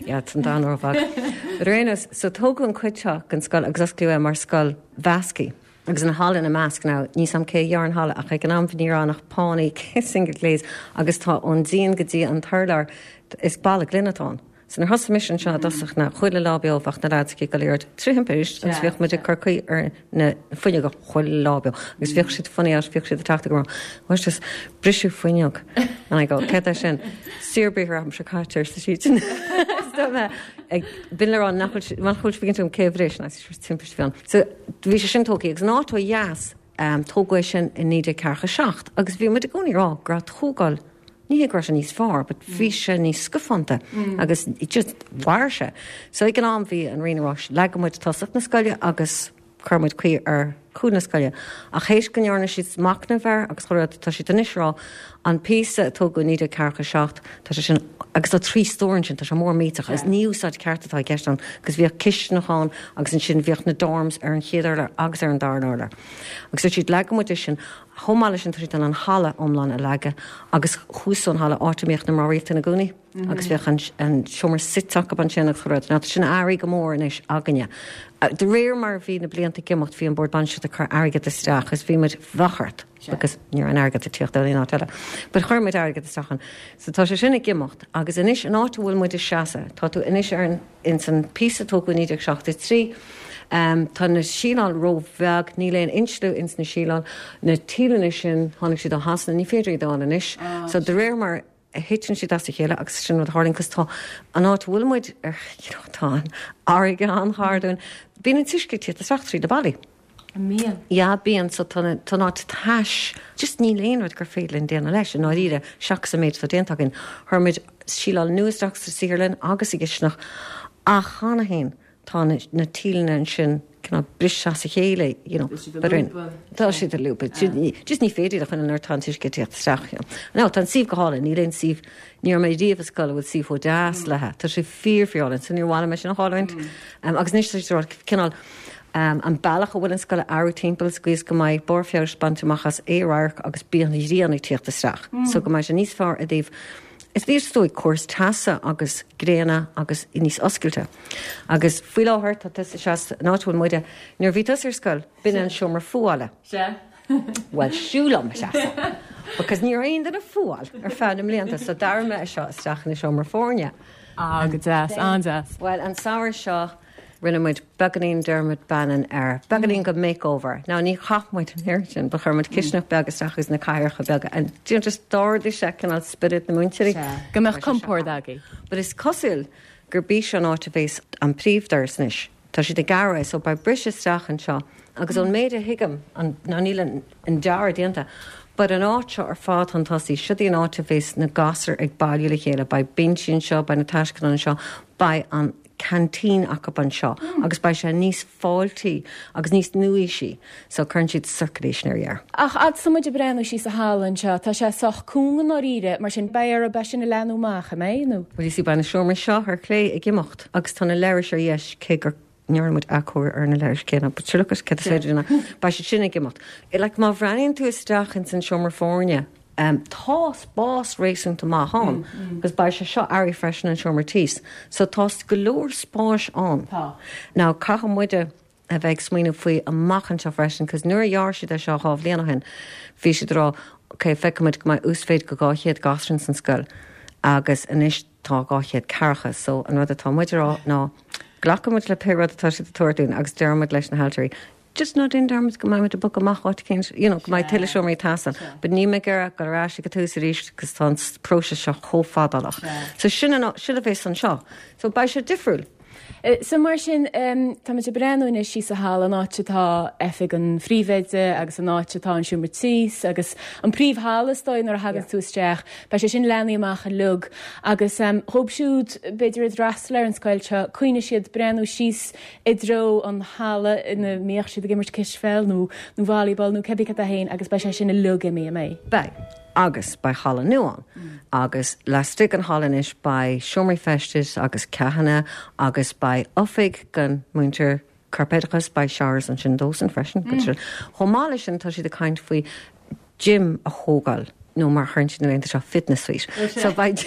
yeah, tá an domhan róbheag. But ar aon nós, so tógadh an cuid seo den scoil agus osclaíodh é mar scoil mheasctha. Agus an halla ina measc now, níl a fhios agam cé a dhear an halla ach ag an am ní raibh ann ach pánaí single glaze agus tá ón díon go dtí an t-urlár is balla gloine atá ann. So nuair thosaigh mise anseo i dtosach na chuile lá beo bheadh na lads ag dul ar trí thimpist agus bhíodh muid ag cur caoi ar na fuinneoga chuile lá beo agus bhíodh siad funny out bhíodh siad ag teacht ag rá was just briseadh fuinneog and I go céard é sin saorbriathar am seo caite arsa siad. Ag bin le rá nach bhfuil nach bhfuil sibh cé bhris na timpist bhí ann. So bhí sé sin tógtha agus an áit ó dheas um, tógadh é sin i naoi déag ceathracha seacht agus bhí muid i gcónaí rá go raibh tógáil ní hé go raibh sé níos fearr, but bhí sé níos scafánta agus just mhair sé. So ag an am bhí an Roinn ag rá leagfaidh muid tosach na scoile agus chuir muid caoi ar chúl na scoile. Ach théis go ndearna siad machnamh air agus chuir tá siad anois ag rá an píosa a tógadh naoi déag ceathracha seacht tá sé sin agus tá trí stór ansin tá sé mór millteach agus ní úsáid ceart atá i gceist ann agus bhíodh cistineach ann agus ansin bhíodh na dorms ar an chéad urlár agus ar an dara urlár. Agus dúirt siad leagfaidh muid é sin chomh maith leis sin tá siad an halla iomlán a leagadh agus thuas an halla áit a mbíodh na mná rialta ina gcónaí agus bhíodh an, an seomra suite acu ansin agus chuir ná sin airí go mór anois againne. De réir mar bhí na blianta ag imeacht bhí an bord bainistíochta ag cur airgead isteach agus bhí muid bhachart because ní raibh an airgead ag tíocht ó aon áit eile. But chuir muid airgead isteach ann. So tá sé sin ag imeacht agus anois an áit a bhfuil muid ag seasamh, tá tú anois ar an ins an píosa tógadh naoi déag seachtó trí, Um, tá na síleáil róbheag níl aon insliú ins na síleáil na tíleanna sin tháinig siad ó Shasana ní féidir iad a fháil anois. So de réir mar a thiteann siad as a chéile agus sin rud a tharlaíonn cos tá an áit a bhfuil muid ar you know, tá an fharraige an-ghar dúinn. Bíonn an t-uisce ag tíocht isteach trí na ballaí. Bíonn. Ja, bíonn so tá tá an áit tais. Just níl aon rud gur féidir linn déanamh leis an áiríre seachas an méid atá déanta againn. Chuir muid síleáil nua isteach sa saotharlann agus i gcistineach ach cheana féin tá na, na tíleanna ansin cineál briste as a chéile, you know. But in- Tá siad ag lúbadh. Just ní féidir a chun an tá an t-uisce ag tíocht isteach. You know. Now tá an suíomh go hálainn, níl aon suíomh ní raibh mé riamh i scoil a bhfuil suíomh chomh deas léi. Tá sé fíor fíor álainn, so níor mhaith liom é sin a chailliúint. Um, agus anois tá siad ag rá cineál um, an bealach a bhfuil an scoil a athrú timpeall is gcuis go mbeidh barr feabhais bainte amach as aer agus bíonn an ghrian ag tíocht isteach. So go mbeidh sé níos fearr i dtaobh Is níos dóigh córas teasa agus gréine agus níos oscailte. Agus faoi láthair tá tusa seas an áit a bhfuil muide nuair a bhí tusa ar scoil b'in an seomra fuála. Se? Well siúlam seasa. Because ní raibh aon duine ag fuáil ar feadh na mblianta so d'athraigh mé seo isteach ina seomra foirne. Á go deas, an-deas. Well an samhradh seo rinne muid beagáinín Dermot Bannon air, beagáinín go makeover. Now ní chaith muid an oiread sin, ba chuir muid cistineach beag isteach agus na cathaoireacha beaga and you know, just d'ardaigh sé cineál spiorad na múinteoirí. Go mbeadh compord agaibh. But is cosúil gur bí seo an áit a bheas an príomhdoras anois. Tá siad ag gearradh so beidh briseadh isteach anseo agus ón méid a thuigim an ná níl an, an dearadh déanta. But an áit seo ar fad chun tosaigh, seo í an áit a bheas na gasúir ag bailiú le chéile, beidh binsí anseo, beidh na taisceadáin anseo, beidh an canteen acu anseo agus beidh sé níos fáiltí agus níos nua-aoisí, so cuireann siad circulation ar air. Ach fhad is muid ag breathnú síos sa halla anseo, tá sé sách cúng i ndáiríre, mar sin beidh orthu é sin a leathnú amach, an mbeidh, nó? Well you see beidh na seomraí seo ar chlé ag imeacht agus tá na leithris ar dheis cé gur ndearna muid athchóiriú ar na leithris céanna, but sure look cad is féidir lena beidh siad sin ag imeacht. Like má bhreathnaíonn tú isteach ins an seomra foirne, um, tá spás réasúnta maith ann, agus beidh sé seo airí freisin an seomra tíos, so tá go leor spáis ann. Tá. Now caithfidh muide a bheith ag smaoineamh faoi amach anseo freisin, cos nuair a dhear siad é seo dhá bhliain ó shin, bhí siad ag rá, ok, feicimid go mbeidh uasmhéid go dhá chéad gasúr san scoil, agus anois tá dhá chéad ceathracha, so an rud atá muid a rá ná glacfaidh muid le pé rud atá siad ag tabhairt dúinn agus deirimid leis na hailtirí, just ná déan dearmad go mbeidh muid ag bogadh amach áit éicint, you know, go mbeidh tuilleadh seomraí ag teastáil. But níl mé ag iarraidh dul ar ais ag an tús arís cos tá an próiseas seo chomh fadálach. So sin an, sin a bheas anseo. So beidh sé difriúil. So mar sin, tá muid ag breathnú anois síos sa halla, an áit atá oifig an phríomhoide agus an áit atá an seomra tíos agus an príomhhalla is dóigh nuair a thagann tú isteach, beidh sé sin leathnaithe amach uilig agus dhóibh siúd b'fhéidir a d'fhreastail ar an scoil seo, cuimhneoidh siad breathnú síos i dtreo an halla ina mbíodh siad ag imirt cispheil nó nó volleyball nó cibé cad é féin agus beidh sé sin uilig imithe, an mbeidh? Beidh. Agus beidh halla nua ann. Agus laistigh den halla anois beidh seomraí feistis agus ceathanna agus beidh oifig don múinteoir corpoideachais, beidh showers ansin dósan freisin. Mm. Chomh maith leis sin tá siad ag caint faoi gym a thógáil nó mar a chuireann siad na laethanta seo fitness suite. So beidh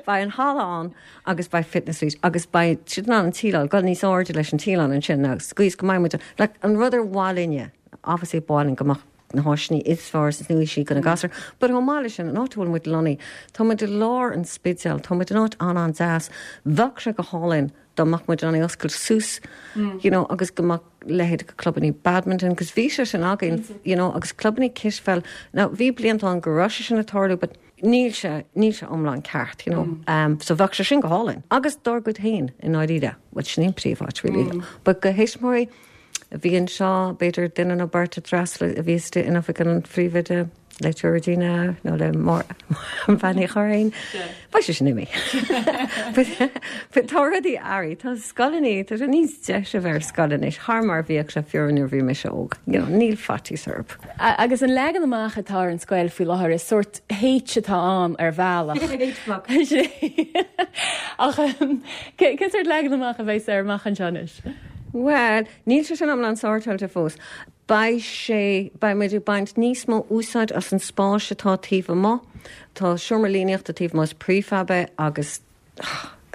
beidh an halla ann agus beidh fitness suite agus beidh siad in ann an tsíleáil dul níos airde leis an tsíleáil ansin agus squeeze go mbeidh muid like, an rud ar mhaith linne, obviously ba mhaith linn go mbeadh na háiseanna is fearr is nua-aoisí do na gasúir, but chomh maith leis sin, an áit a bhfuil muid lonnaithe, tá muid i lár an Spidéil, tá muid in áit an-an-deas, bheadh sé go hálainn dá mbeadh muid in ann oscailt suas, you know, agus go mbeadh leithéid de clubanna badminton, cos bhí sé sin againn, you know, agus clubanna cispheil. Now, bhí blianta ann go raibh sé sin ag tarlú, but níl sé, níl sé iomlán ceart, you know. Um, so bheadh sé sin go hálainn. Agus dár gcuid féin i ndáiríre, well, sin an príomháit, really. But do thuismitheoirí a bhí anseo, b'fhéidir duine nó beirt a d'fhreastail a bhí istigh in oifig an phríomhoide le Georgina nó le Bean Uí Churraoin. Beidh sé sin imithe. But tá rudaí ag athrú, tá scoileanna, tá sé níos deise a bheith ar scoil anois, thar mar a bhíodh sé fiú nuair a bhí mise óg. You know, níl faitíos orthu. Agus an leagan amach atá ar an scoil faoi láthair is sórt H atá ann ar bhealach. Ach cén sórt leagan amach a bheas air amach anseo anois? Well, níl sé sin iomlán sortáilte fós. Beidh sé, beidh muid ag baint níos mó úsáid as an spás atá taobh amuigh. Tá seomra líníochta taobh amuigh, is prefab é agus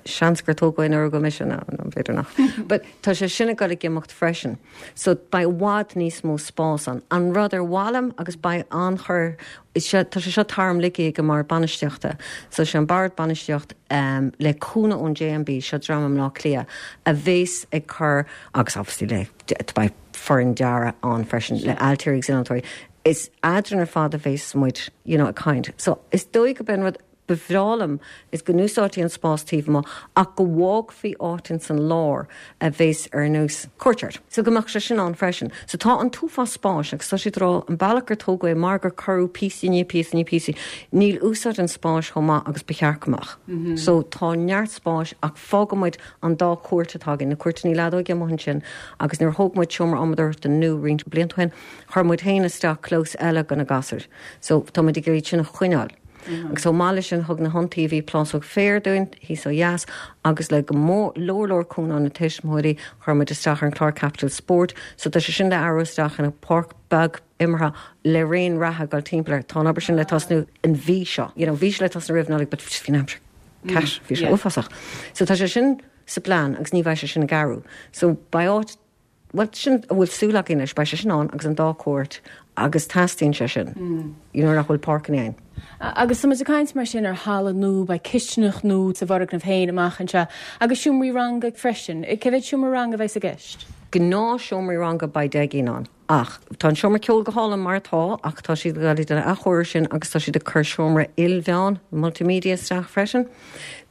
seans gur tógadh é nuair a rugadh mise, no, no, b'fhéidir nach. But tá sé sin ag dul ag imeacht freisin. So beidh i bhfad níos mó spás ann. An rud ar mhaith liom agus beidh an-chur, is sé, tá sé seo tarmligthe ag an mBord Bainistíochta. So sé an Bord Bainistíocht um, le cúnamh ón J M B, seo dream i mBleá Cliath, a bhéas ag cur, agus obviously le, beidh foireann dearaidh ann freisin, le ailtirí agus innealtóirí. Is eadrainn ar fad a bhéas muid, you know, ag caint. So is dóigh go b'in rud ba bhreá liom is go n-úsáidfí an spás taobh amuigh ach go bhfágfaí áit ins an lár a bhéas ar nós courtyard. So go mbeadh sé sin ann freisin. So tá an t-uafás spáis agus tá siad ag rá an bealach gur tógadh é mar gur cuireadh píosaí ní píosaí ní píosaí, níl úsáid an spáis chomh maith agus ba cheart go mbeadh. So tá neart spáis ach fágfaidh muid an dá chúirt atá againn, na cúirteanna leadóige amuigh ansin agus nuair a thóg muid seomra adhmadóireachta nua roinnt blianta ó shin, chuir muid féin isteach clós eile do na gasúir. So tá muid ag iarraidh sin a choinneáil. Agus chomh maith leis sin thug na hiontaobhaí plásóg féir dúinn thíos ó dheas agus le go mór leor leor cúnamh na tuismitheoirí chuir muid isteach ar an chlár Capital Sport, so tá sé sin le athrú isteach ina páirc beag imeartha le raon reatha dul timpeall air. Tá an obair sin le tosnú an mhí seo. You know, bhí sé le tosnú roimh Nollaig, but bhí an aimsir cat, bhí sé uafásach. So tá sé sin sa plean agus ní bheidh sé sin ag athrú. So beidh áit well, sin a bhfuil súil againn leis, beidh sé sin ann agus an dá chúirt agus teastaíonn sé sin. Mm. You know, nach bhfuil páirceanna ann. Agus tá muid ag caint mar sin ar halla nua, beidh cistineach nua sa bhfoirgneamh féin amach anseo agus seomraí ranga freisin. Cé mhéad seomra ranga a bheas i gceist? Gnáth seomraí ranga beidh deich gcinn ann. Ach tá an seomra ceoil go hálainn mar atá ach tá siad ag dul athchóiriú sin agus tá siad ag cur seomra ilmheán multimedia isteach freisin.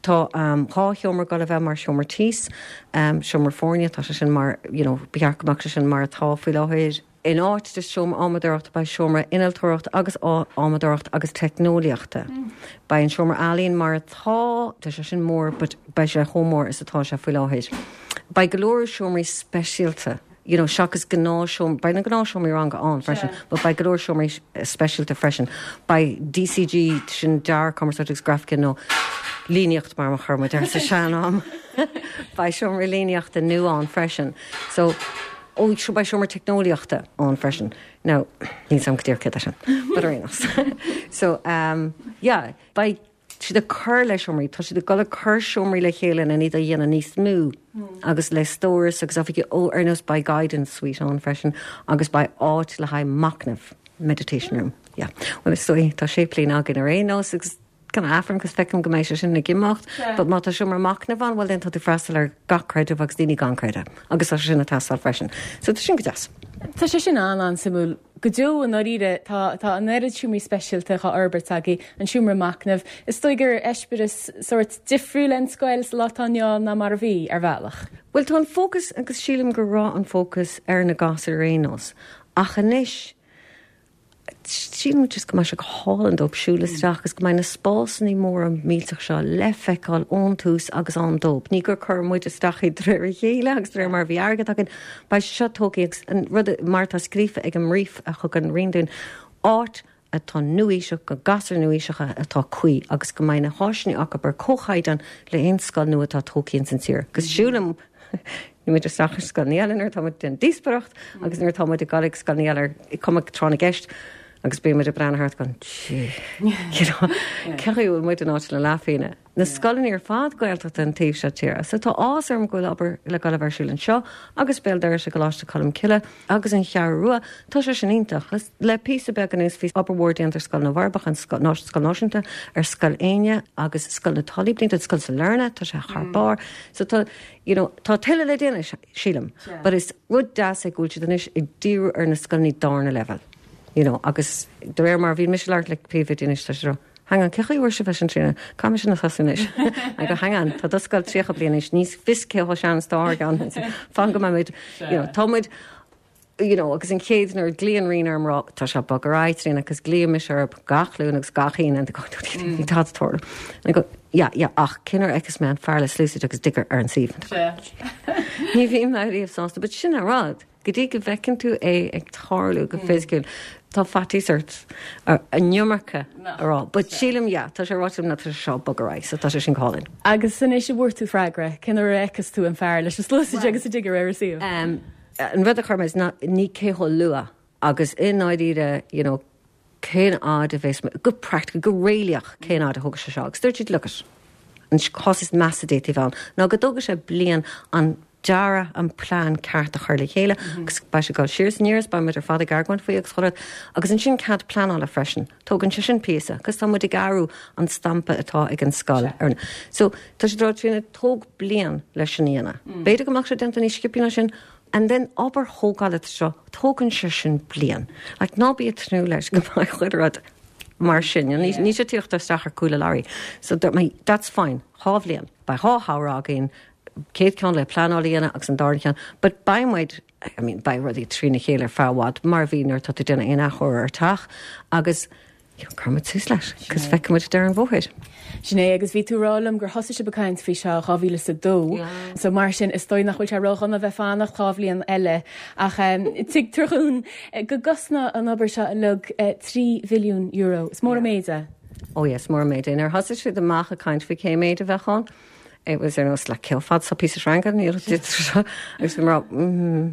Tá um, dhá sheomra ag dul a bheith mar seomra tíos, um, seomra foirne, tá sé sin mar you know, ba cheart go mbeadh sé sin mar atá faoi láthair. In áit de seomra adhmadóireachta beidh seomra innealtóireachta agus adhmadóireachta agus teicneolaíochta. Beidh an seomra ealaíon mar atá, tá sé sin mór, but beidh sé chomh mór is atá sé faoi láthair. Beidh go leor seomraí speisialta, you know, seachas gnáthsheomra, beidh na gnáthsheomraí ranga ann freisin, but beidh go leor seomraí speisialta freisin. Beidh D C G, sin dearadh, cumarsáid agus grafaice nó líníocht mar a chuir muid air sa sean-am. Beidh seomra líníochta nua ann freisin. So ó beidh seomra teicneolaíochta ann freisin. Now, níl a fhios agam go díreach céard é sin, but ar aon nós. So um, yeah, beidh siad ag cur le seomraí, tá siad ag dul ag cur seomraí le chéile in iad a dhéanamh níos mó agus le stóras agus oifigí ó ar nós beidh guidance suite ann freisin agus beidh áit le haghaidh machnamh, meditation room. Yeah. Well, is dóigh tá séiplín againn ar aon nós agus gan afram agus feicim go mbeidh sé sin ag imeacht, but má tá seomra machnaimh ann, well then tá tú freastal ar gach creideamh agus daoine gan creideamh, agus tá sé sin ag teastáil freisin. So tá sin go deas. Tá sé sin an an-suimiúil. Go deo an oíre tá tá an oiread seomraí speisialta á fhorbairt agaibh, an seomra machnaimh. Is dóigh gur eispéireas sórt difriúil an scoil sa lá atá inniu ná mar a bhí ar bhealach. Well tá an fócas agus sílim go raibh an fócas ar na gasúir ar aon nós. Ach anois sílim just go mbeidh sé go hálainn dóibh siúl isteach agus go mbeidh na spásanna móra millteach seo le feiceáil ón tús agus ann dóibh. Ní gur chuir muid isteach i dréir a chéile agus de réir mar bhí airgead againn, beidh seo tógtha agus an rud mar tá scríofa ag an mbrief a thug an Roinn dúinn áit atá nuaoiseach do ghasúir nuaoiseacha atá cuí agus go mbeidh na háiseanna acu ar comhchaighdeán le haon scoil nua atá tógtha san tír. Agus siúlaim muid isteach ar scoil eile nuair tá den díospoireacht agus nuair tá muid ag dul ag scoil eile ar cuma tráth na gceist agus bí muid ag breathnú thart gan ceú muid an áit le leathphingne. Na scoileanna ar fad Gaeltachta an taobh seo tíre, so tá áthas orm go bhfuil obair le dul ar siúl anseo agus Béal Dorais i gColáiste Cholm Cille agus an Cheathrú Rua, tá sé sin iontach le píosa beag anuas bhí obair mhór déanta ar Scoil na bhForbacha an Scoil Náisiúnta ar Scoil Éinne agus Scoil na Tulaí blianta Scoil Sailearna tá sé thar barr. So tá you know, tá tuilleadh le déanamh sílim, but is rud deas é go bhfuil siad anois ag díriú ar na scoileanna darna leibhéal. You know, agus de réir mar bhí mise ag labhairt le príomhoidí anois tá sé Hang on, cé bhfuair sibh sin trína Cá sin thosaigh anois go hang on, tá do scoil tríocha bliain anois ní fios cé chomh sean atá gan fan go muid you know, tá muid you know, agus an chéad nuair glaonn Roinn orm rá tá sé bog ar aghaidh trína agus glaoim ar gach Luan agus gach Aoine ní tá tarlú. go ja ja ach cinnar agus mé an fear le sluasaid agus digger ar an suíomh. Ní bhí mé riamh sásta, but sin an rud. Go dtí go bhfeiceann tú é ag tarlú go fisiciúil. Tá faitíos ort an iomarca a rá, but sílim yeah, tá sé ráite na tá seo bog ar aghaidh, so tá sé sin go hálainn. Agus anois a bhfuair tú freagra, cén uair a fheiceas tú an fear leis an sluasaid agus an digger ar an suíomh. Um, an rud a chuir mé ná ní cé chomh luath agus i ndáiríre you know, cén fhad a bheas go practical go réalaíoch cén fhad a thógfaidh sé seo agus dúirt siad look it an cás is measa a d'fhéadfadh ann ná go dtógfaidh sé bliain an dearadh an plean ceart a chur le chéile agus beidh sé ag dul siar is aniar beidh muid ar fad ag argóint faoi agus chuile agus ansin cead pleanála freisin. Tógann sé sin píosa, agus tá muid ag athrú an stampa atá ag an scoil. Ar So tá sé dra trína tóg bliain leis sin a dhéanamh. B'fhéidir go mbeadh sé déanta níos sciobtha ná sin, and then obair thógála seo tógann sé sin bliain. Like, ná bí ag tnúth leis go mbeidh chuile rud mar sin ní ní sé tíocht isteach ar cúla Larry. So that my, that's fine. Dhá bhliain. Beidh dhá shamhradh againn céad ceann le pleanáil a dhéanamh agus an dara ceann, but beidh muid I mean, beidh rudaí trína chéile ar feadh i bhfad mar bhí nuair tá tú déanamh aon athchóiriú ar teach agus cuirfimid tús leis, cos feicfimid deireadh an bhóthair. Sin é agus bhí tú ag rá liom gur thosaigh sibh ag caint faoi seo dhá mhíle is a dó. So mar sin is dóigh nach bhfuil sé ródhona bheith fanacht dhá bhliain eile ach um, tuigtear dúinn go gcosnóidh an obair seo uilig uh, trí mhilliún euro. Is mór an méid é. Oh yes, mór an méid é. Nuair thosaigh siad amach ag caint faoi cé méid a bheadh ann. It was ar nós le cé fad sa píosa sreanga agus bhí mar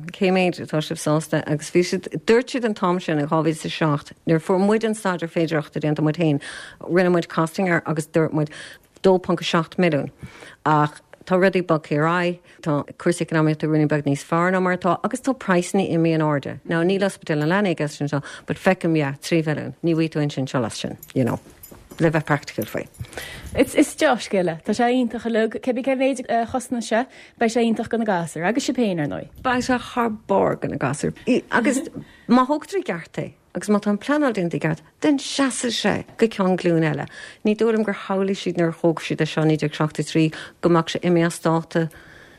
cé méid atá sibh sásta agus bhí siad dúirt siad an t-am sin in dhá mhíle a seacht nuair fuair muid an staidéar féidearthachta déanta muid féin rinne muid costing air agus dúirt muid dó ponc seacht milliún ach tá rudaí bogtha ar aghaidh, tá cúrsaí eacnamaíochta rudaí beag níos fearr ná mar atá agus tá praghsanna imithe in airde. Now níl ospidéal na leanaí sin seo, but feicim yeah, trí mhilliún, ní bhfaighidh tú sin seo as sin, you know. Le bheith practical faoi. Is is dea-scéal é, Tá sé iontach uilig cébí cé mhéid a chosnaíonn sé, beidh sé iontach do na gasúir, agus sibh féin ar ndóigh. Beidh sé thar barr do na gasúir. Agus má thógtar i gceart é, agus má tá an pleanáil déanta i gceart, den seasfaidh sé go ceann glúin eile. Ní dóigh liom gur shamhlaigh siad nuair a thóg siad é seo naoi déag seachtó trí go mbeadh sé imithe as dáta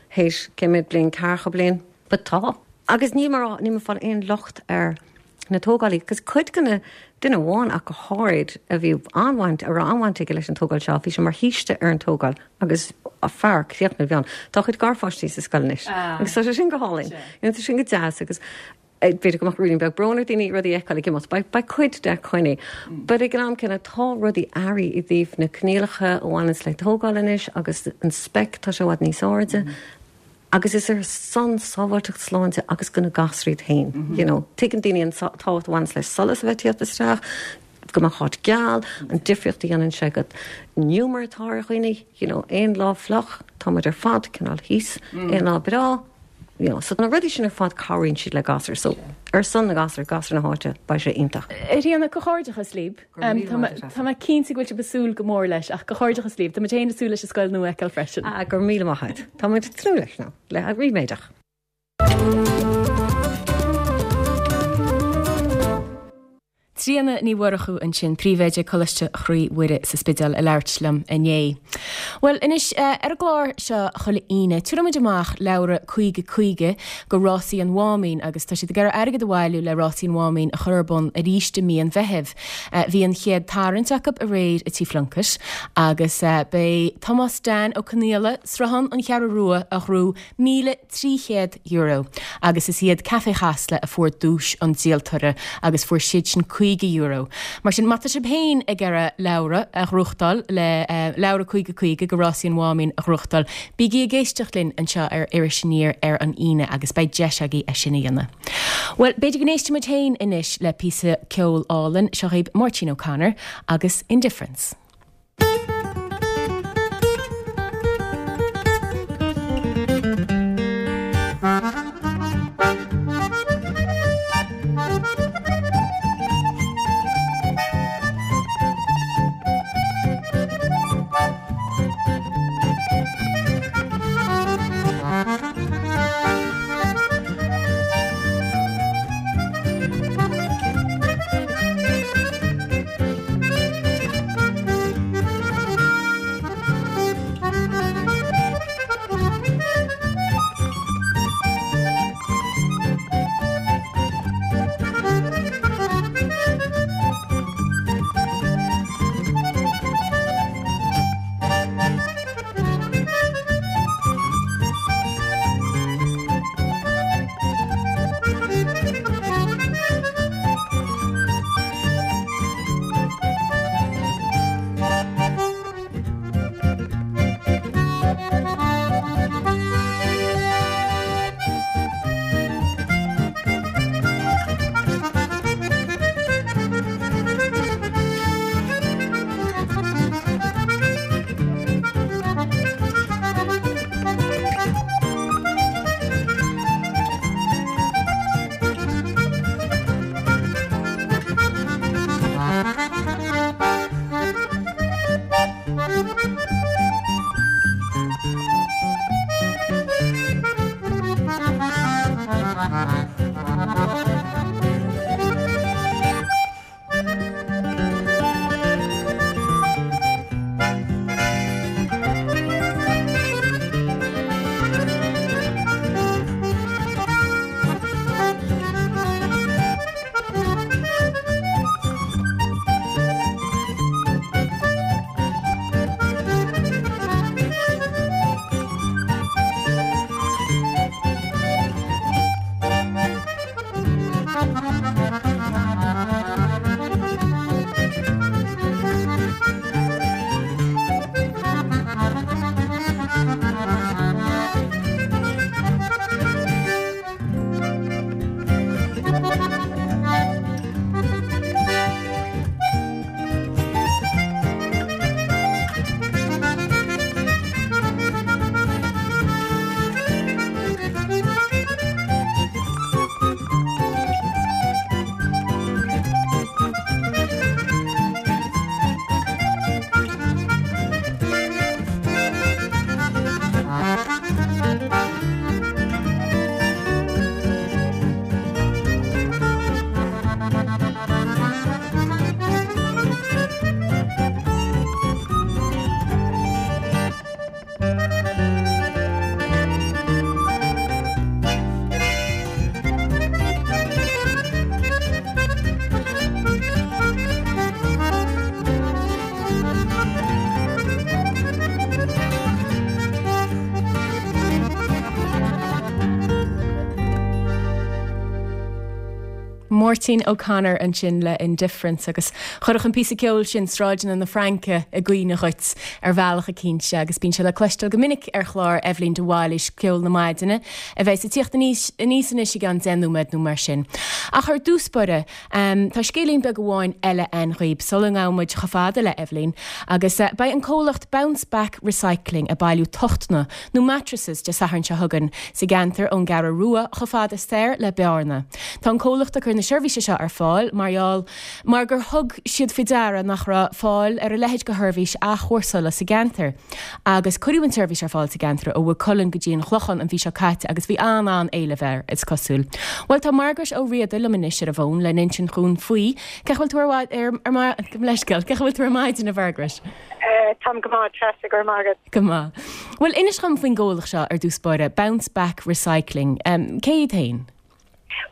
théis cé mhéad bliain ceathracha bliain, but tá. Agus níl mé níl mé ag fáil aon locht ar na tógálaí, cos cuid de na duine amháin ach go háirid a bhí an-bhaint a raibh an-bhaint aige leis an tógáil seo, bhí sé mar shaoiste ar an tógáil agus a fear críochnaithe a bhí ann. Tá a chuid garpháistí sa scoil anois. Agus tá sé sin go hálainn. You know, tá sin go deas agus b'fhéidir go mbeadh rudaí beag brón ar daoine rudaí a fheiceáil ag imeacht, beidh cuid de coinnithe. But ag an am céanna tá rudaí athraithe i dtaobh na coinníollacha a bhaineanns le tógáil anois agus an spec tá sé i bhfad níos airde. Agus is ar son sábháilteacht sláinte agus go na gasúir iad féin. You know, tuigeann daoine an tábhacht a bhaineanns le solas a bheith ag tíocht isteach, go mbeadh áit geal, an difríocht a dhéanann sé go an giúmar atá ar dhaoine, you know, aon lá fliuch, tá muid ar fad cineál thíos, aon lá breá, you know, so na rudaí sin ar fad cabhraíonn siad le gasúir, so ar son na gasúr, gasúir na háite, beidh sé iontach. A Thríona, comhghairdeachas libh. Tá mé cinnte go bhfuil sibh ag súil go mór leis ach comhghairdeachas libh. Tá muid féin ag súil leis an scoil nua a fheiceáil freisin. Ah, go raibh míle maith agat. Tá muid ag tnúth leis now, le ríméadach. Tríona Ní Mhurchú ansin, Príomhoide Coláiste Chroí Mhuire sa Spidéal ag labhairt liom inné. Bhuel, anois, ar an gclár seo chuile Aoine, tabharfaidh muid amach leabhra caoga caoga go Rásaí an Mháimín agus tá siad ag iarraidh airgead a bhailiú le Rásaí an Mháimín a chur ar bun arís i mí an Mheithimh. Bhí an chéad tarraingt acu aréir i Tí Phlunkett agus b'é Tomás Dan Ó Conaola, Sruthán an Cheathrú Rua a ghnóthaigh míle trí chéad euro agus is iad Café Chasla a fuair duais an díoltóra agus fuair siad sin caoga euro. Mar sin, má tá sibh féin ag iarraidh leabhra a ghnóthachtáil le leabhra caoga caoga go Rásaí an Mháimín a ghnóthachtáil, bígí ag éisteacht linn anseo ar Iris Aniar ar an Aoine agus beidh deis agaibh é sin a dhéanamh. Bhuel, b'fhéidir go n-éistfidh muid féin anois le píosa ceoil álainn, seo dhaoibh Máirtín O'Connor agus Indifference. Máirtín O'Connor ansin le Indifference agus chuirfeadh an píosa ceoil sin sráideanna na Fraince i gcuimhne dhuit ar bhealach eicínt agus bíonn sé le cloisteáil go minic ar chlár Eibhlín de Bhailís Ceol na Maidine a bheas ag tíocht aníos aníos anois i gceann deich nóiméad nó mar sin. Ach ar dtús báire um, tá scéilín beag amháin eile againn dhaoib sula ngabhann muid chomh fada le Eibhlín agus uh, beidh an comhlacht Bounce Back Recycling ag bailiú tochtanna nó mattresses Dé Sathairn seo chugainn sa gceantar ón gCeathrú Rua chomh fada soir le Bearna. Tá an comhlacht ag cur na seirbhíse seo ar fáil mar gheall mar gur thug siad faoi deara nach raibh fáil ar a leithéid de sheirbhís athchúrsála sa gceantar. Agus cuireadh an tseirbhís ar fáil sa gceantar ó Mhaigh Cuilinn go dtí an Clochán an mhí seo caite agus bhí an-an-éileamh air is cosúil. Well tá Margaret Ó Riada liom anois ar an bhfón le n-insint dhúinn faoi Cén chaoi a bhfuil tú ar ar leithscéal, cén chaoi a bhfuil tú ar maidin a Mhargaret. Táim go maith Treasa go maith. Go maith. Well inis dom faoin gcomhlacht seo ar dtús báire Bounce Back Recycling. Um, cé hiad féin?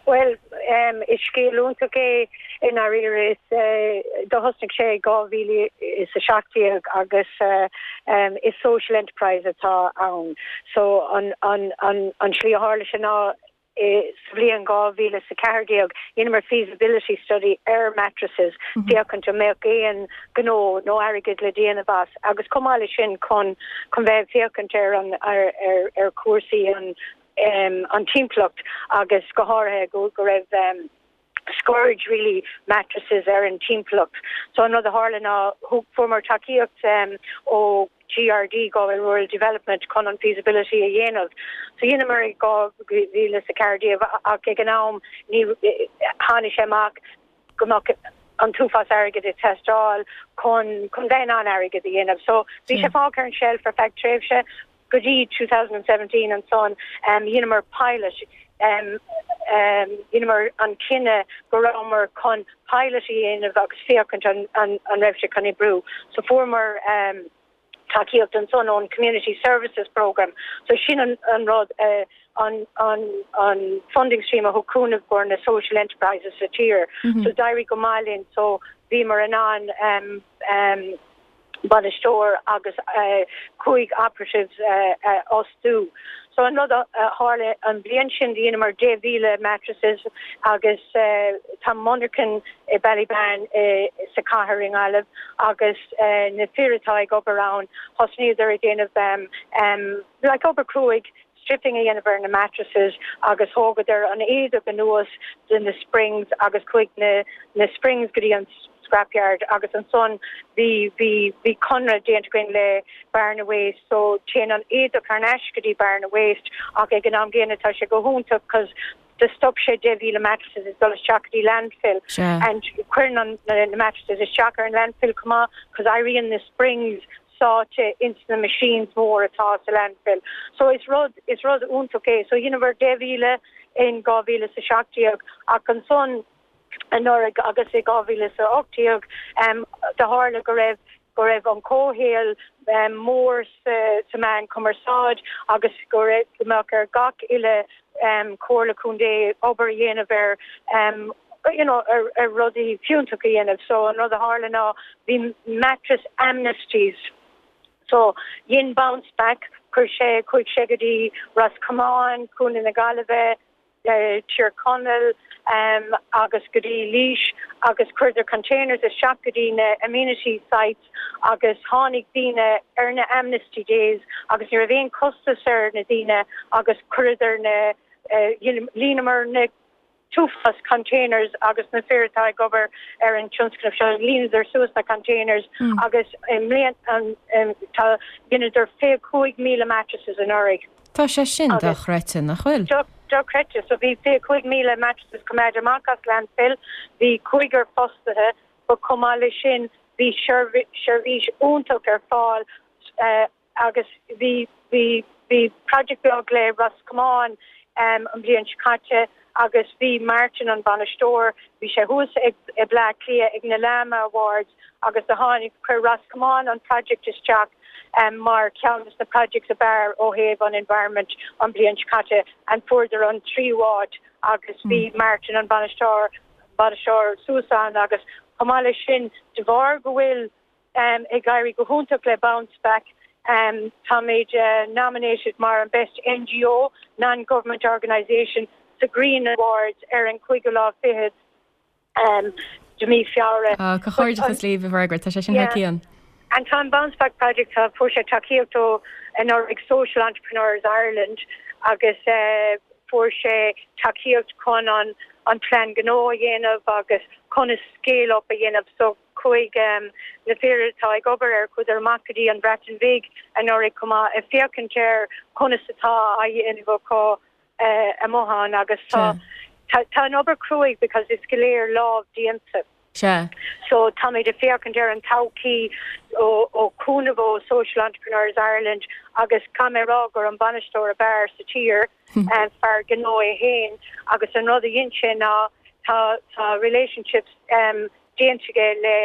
Well um, is scéal iontach é i ndáiríre is uh, do thosnaigh sé dhá mhíle is a seacht déag agus uh, um, is social enterprise atá ann. So an, an, an, an slí a tharla sé ná sa bhliain dhá mhíle sa ceathair déag dheineamar feasibility study ar mattresses mm -hmm. féachaint an mbeadh aon gnó nó airgead le déanamh as agus chomh maith leis sin chun chun bheith féachaint ar an ar ar, ar cúrsaí an um, an timpeallacht agus go háirithe go go raibh um, scourge really mattresses ar an timpeallacht. So an rud a tharla ná fuaireamar tacaíocht um, ó GRD Galway Rural Development chun an feasibility a dhéanamh. So dheineamar i dhá mhíle sa ceathair déag ach ag an am ní tháinig sé amach go mbeadh an t-uafás airgead ag teastáil chun chun bheith an airgead a dhéanamh. So bhí sé fágtha ar an shelf ar feadh tréimhse go dtí two thousand and seventeen ansan um, dheineamar pilot um, um, dheineamar an cinneadh go rabhamar chun pilot a dhéanamh agus féachaint an, an, an raibh sé chun oibriú. So fuaireamar um, tacaíocht ansan ón Community Services Program. So sin an, an rud uh, an, an, an funding stream a thug cúnamh do na social enterprises sa tír. Mm -hmm. So d'éirigh go maith linn so bhíomar in ann um, um, bainisteoir agus uh, cúig operatives uh, uh, fhostú. So an rud a tharla an bhliain sin dheineamar deich mhíle mattresses agus uh, tá monarcha i Ballybane uh, sa chathair i nGaillimh agus uh, na fir atá ag obair ann thosnaíodar ag déanamh um, um, like obair cruaidh stripping a dhéanamh ar na mattresses agus thógadar an éadach anuas de na springs agus chuaigh na, na springs go dtí an scrapyard agus ansan bhí bhí bhí conradh déanta againn le Bearna Waste so téann an éadach thar n-ais go dtí Bearna Waste ach ag an am gcéanna tá sé go hiontach cos do stop sé deich mhíle mattresses ag dul isteach go dtí landfill and cuireann an na, na mattresses isteach ar an landfill chomh maith cos éiríonn na springs sáite ins na machines mór atá sa landfill. So is rud is rud iontach é so dheineamar deich mhíle in dhá mhíle sa seacht déag ach ansan anuraidh agus i dhá mhíle sa ocht déag um, do tharla go raibh go raibh an comhshaol um, mór sa, sa meán cumarsáid agus go raibh go mbeadh ar gach uile um, comhairle contae obair a dhéanamh ar um, you know, ar, ar rudaí fiúntacha a dhéanamh. So an rud a tharla ná bhí mattress amnesties. So dhein Bounce Back chuir sé chuaigh sé go dtí Ros Comáin, Contae na Gaillimhe, uh, Tír Chonaill um, agus go dtí Laois agus chuireadar containers isteach go dtí na amenity sites agus tháinig daoine ar na amnesty days agus ní raibh aon costas ar na daoine agus chuireadar na uh, líonamar na t-uafás containers agus na fir atá ag obair ar an tionscnamh seo líonadar suas na containers mm. agus i mbliana um, um, tá dheineadar fiche cúig míle mattresses anuraidh. Tá sé sin dochreidte nach bhfuil. Dochreidte so bhí fiche cúig míle mattresses coimeádta amach as landfill, bhí cúigear fostaithe, but chomh maith leis sin bhí seirbhís iontach ar fáil uh, agus bhí bhí bhí project beag le Ros Comáin um, an bhliain seo caite agus bhí Martin an bainisteoir, bhí sé thuas ag i Bleá Cliath ag na LAMA Awards agus do tháinig chuir Ros Comáin an project isteach um, mar ceann de na projects ab fhearr ó thaobh an environment an bhliain seo caite and fuaireadar an tríú háit agus bhí mm. Martin an bainisteoir bainisteoir suas ann agus chomh maith leis sin de bharr go bhfuil um, ag éirí go hiontach le Bounce Back um, táimid uh, nominated mar an best N G O non-government organisation sa Green Awards ar an cúigiú lá fichead um, de mí Feabhra. Ah, Comhghairdeachas libh a Mhargaret, tá sé sin thar cionn. And tá an Bounce Back Project tá fuair sé tacaíocht ó anuraidh Social Entrepreneurs Ireland agus uh, fuair sé tacaíocht chun an an plean gnó a dhéanamh agus chun scale up a dhéanamh so chuaigh um, na fir atá ag obair air chuadar amach go dtí an Bhreatain Bheag anuraidh chomh maith ag féachaint ar conas atá á dhéanamh acu uh, amuigh ann agus tá tá tá an obair cruaidh because is go léir lámh déanta. Sea. So táimid ag féachaint ar an todhchaí ó ó cúnamh ó Social Entrepreneurs Ireland agus caithfidh mé rá gur an bainisteoir ab fhearr sa tír um, fear gnó é féin agus an rud a dhein sé ná tá tá relationships um, déanta aige le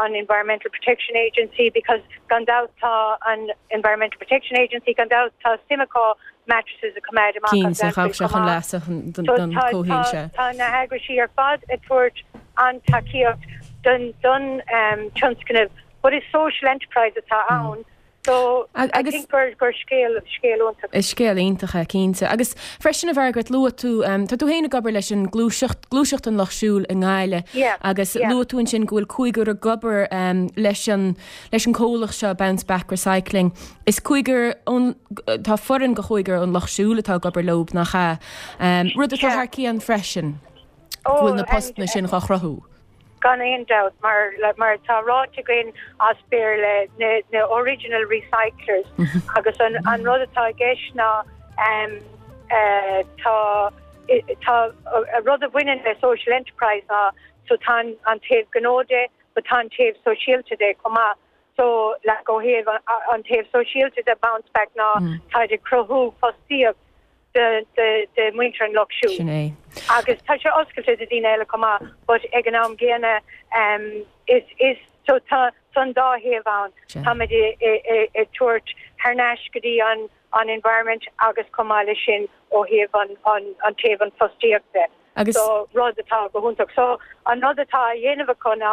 an Environmental Protection Agency because gan dabht tá an Environmental Protection Agency gan dabht tá suim acu mattresses a choimeád amach Cinnte chaith sé chun leasa don chomhshaol sé. Tá na heagraisí ar fad ag tabhairt an tacaíocht don don um, tionscnamh, but is social enterprise atá ann. So I agus think gur gur scéal scéal iontach. Is scéal iontach é cinnte. Agus freisin a Mhargaret luaigh tú um, tá tú féin ag obair leis an gluaiseacht gluaiseacht an Lucht Siúil i nGaillimh Yeah, agus yeah. luaigh tú ansin go bhfuil cúigear ag obair um, leis an leis an comhlacht seo Bounce Back Recycling. Is cúigear ón tá foireann de chúigear ón Lucht Siúil atá ag obair leo nach ea. Um, rud atá Yeah. thar cionn freisin Oh, go bhfuil na and- postanna sin á chruthú. gan aon dabht mar le, mar tá ráite againn as Béarla na, na original recyclers agus an, an rud atá i gceist ná um, uh, tá tá a rud a bhaineann le social enterprise ná so tá an, an taobh gnó de but tá an taobh sóisialta de chomh maith so le go thaobh an, an taobh sóisialta de bounce back ná mm. tá ag cruthú fostaíocht de de de muintir an Lucht Siúil. Sin é. agus tá sé oscailte do daoine eile chomh maith, but ag an am gcéanna um, is is so tá san dá thaobh ann Sea. Tá ag tabhairt thar n-ais go dtí an an environment agus chomh maith leis sin ó thaobh an an an taobh an fostaíochta. Agus So rud atá go hiontach so an rud atá á dhéanamh acu ná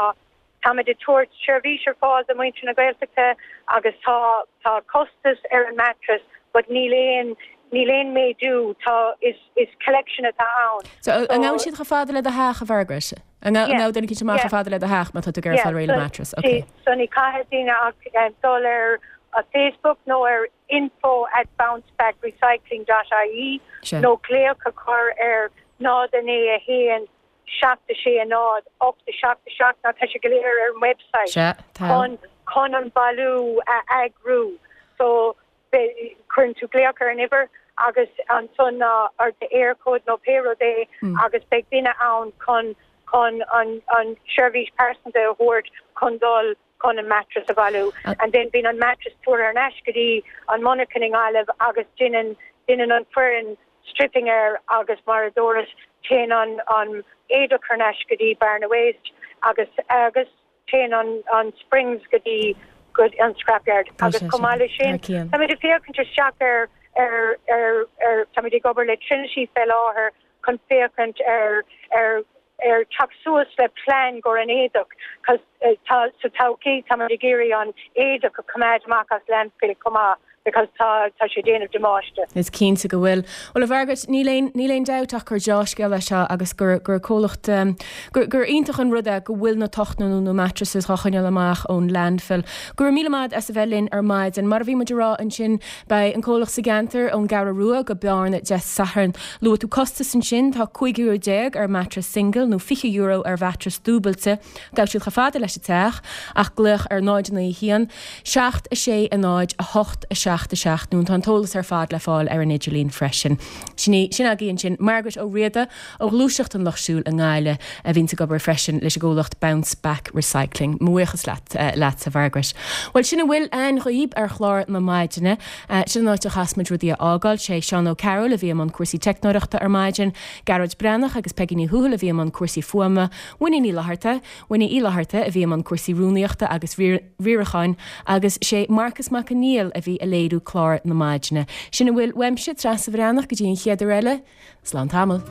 táimid ag tabhairt seirbhís ar fáil do mhuintir na Gaeltachta agus tá tá costas ar an mattress, but níl aon níl aon méadú tá is is collection atá ann. So an ngabhann siad chomh fada le do theach a Mhargaret? An Yeah. ngabhann duine amach Yeah. chomh fada le do theach má tá tú ag fáil réidh le mattress. Okay. So ní caithfidh daoine ach um, dul ar a Facebook nó ar info at bouncebackrecycling.ie Sea. nó glaoch a chur ar náid a naoi a haon seacht a sé náid ocht a seacht a seacht ná tá sé go léir ar an website. Sea, tá. Chun chun an bailiú a eagrú. So be- cuireann tú glaoch ar an uimhir agus ansan ná ar de Eircode nó pé rud é Mm. agus beidh duine ann chun chun an an seirbhís pearsanta a thabhairt chun dul chun an mattress a bhailiú Uh, and then bíonn an mattress tugtha ar ais go dtí an monarcha i nGaillimh agus déanann déanann an foireann stripping air agus mar a dúras téann an an éadach ar ais go dtí Barna Waste agus agus téann an an springs go dtí go an scrapyard Tá agus sé chomh maith leis sin Thar cionn. Tá ag féachaint isteach ar ar ar ar tá ag obair le Trinity fé láthair chun féachaint ar ar ar teacht suas le plean gur an éadach cos uh, tá sa todhchaí tá ag iarraidh an éadach a choimeád amach as landfill chomh maith because tá tá sé déanamh damáiste. Is cinnte go bhfuil. Well a Mhargaret níl aon níl aon dabht ach gur dea-scéal é seo agus gur gur comhlacht um, gur gur iontach an rud é go bhfuil na tochtanna nó na mattresses á choinneáil amach ón landfill. Gur míle maith as a bheith linn ar maidin mar a bhí muid ag rá ansin beidh an comhlacht sa gceantar ón gCeathrú Rua go Bearna Dé Sathairn. Luaigh tú costas ansin tá cúig euro déag ar mattress single nó fiche euro ar mhattress dúbailte, Gabh siad chomh fada leis an teach ach glaoch ar náid naoi haon, seacht a sé a náid a hocht a seacht a seacht nó tá an t-eolas ar fad le fáil ar an idirlíon freisin. Sin í sin againn sin Margaret Ó Riada ó Ghluaiseacht an Lucht Siúil i nGaillimh a bhíonn ag obair freisin leis an gcomhlacht Bounce Back Recycling. Buíochas leat uh, leat a Mhargaret. Well sin a bhfuil againn dhaoibh ar chlár na maidine, uh, sin an áit a chaithfimid rudaí a fhágáil sé Seán O'Carroll a bhí i mbun cúrsaí teicneoireachta ar maidin, Gearóid Breathnach agus Peggy Ní Thuathail a bhí i mbun cúrsaí fuaime, Winnie Ní Fhlatharta, Winnie Uí Fhlatharta a bhí i mbun cúrsaí rúnaíochta agus riaracháin agus sé Marcus Mac Conghail a bhí ag léiriú clár na maidine. Sin a bhfuil uaimse Treasa Bhreathnach go dtí an chéad uair eile, Slán tamall.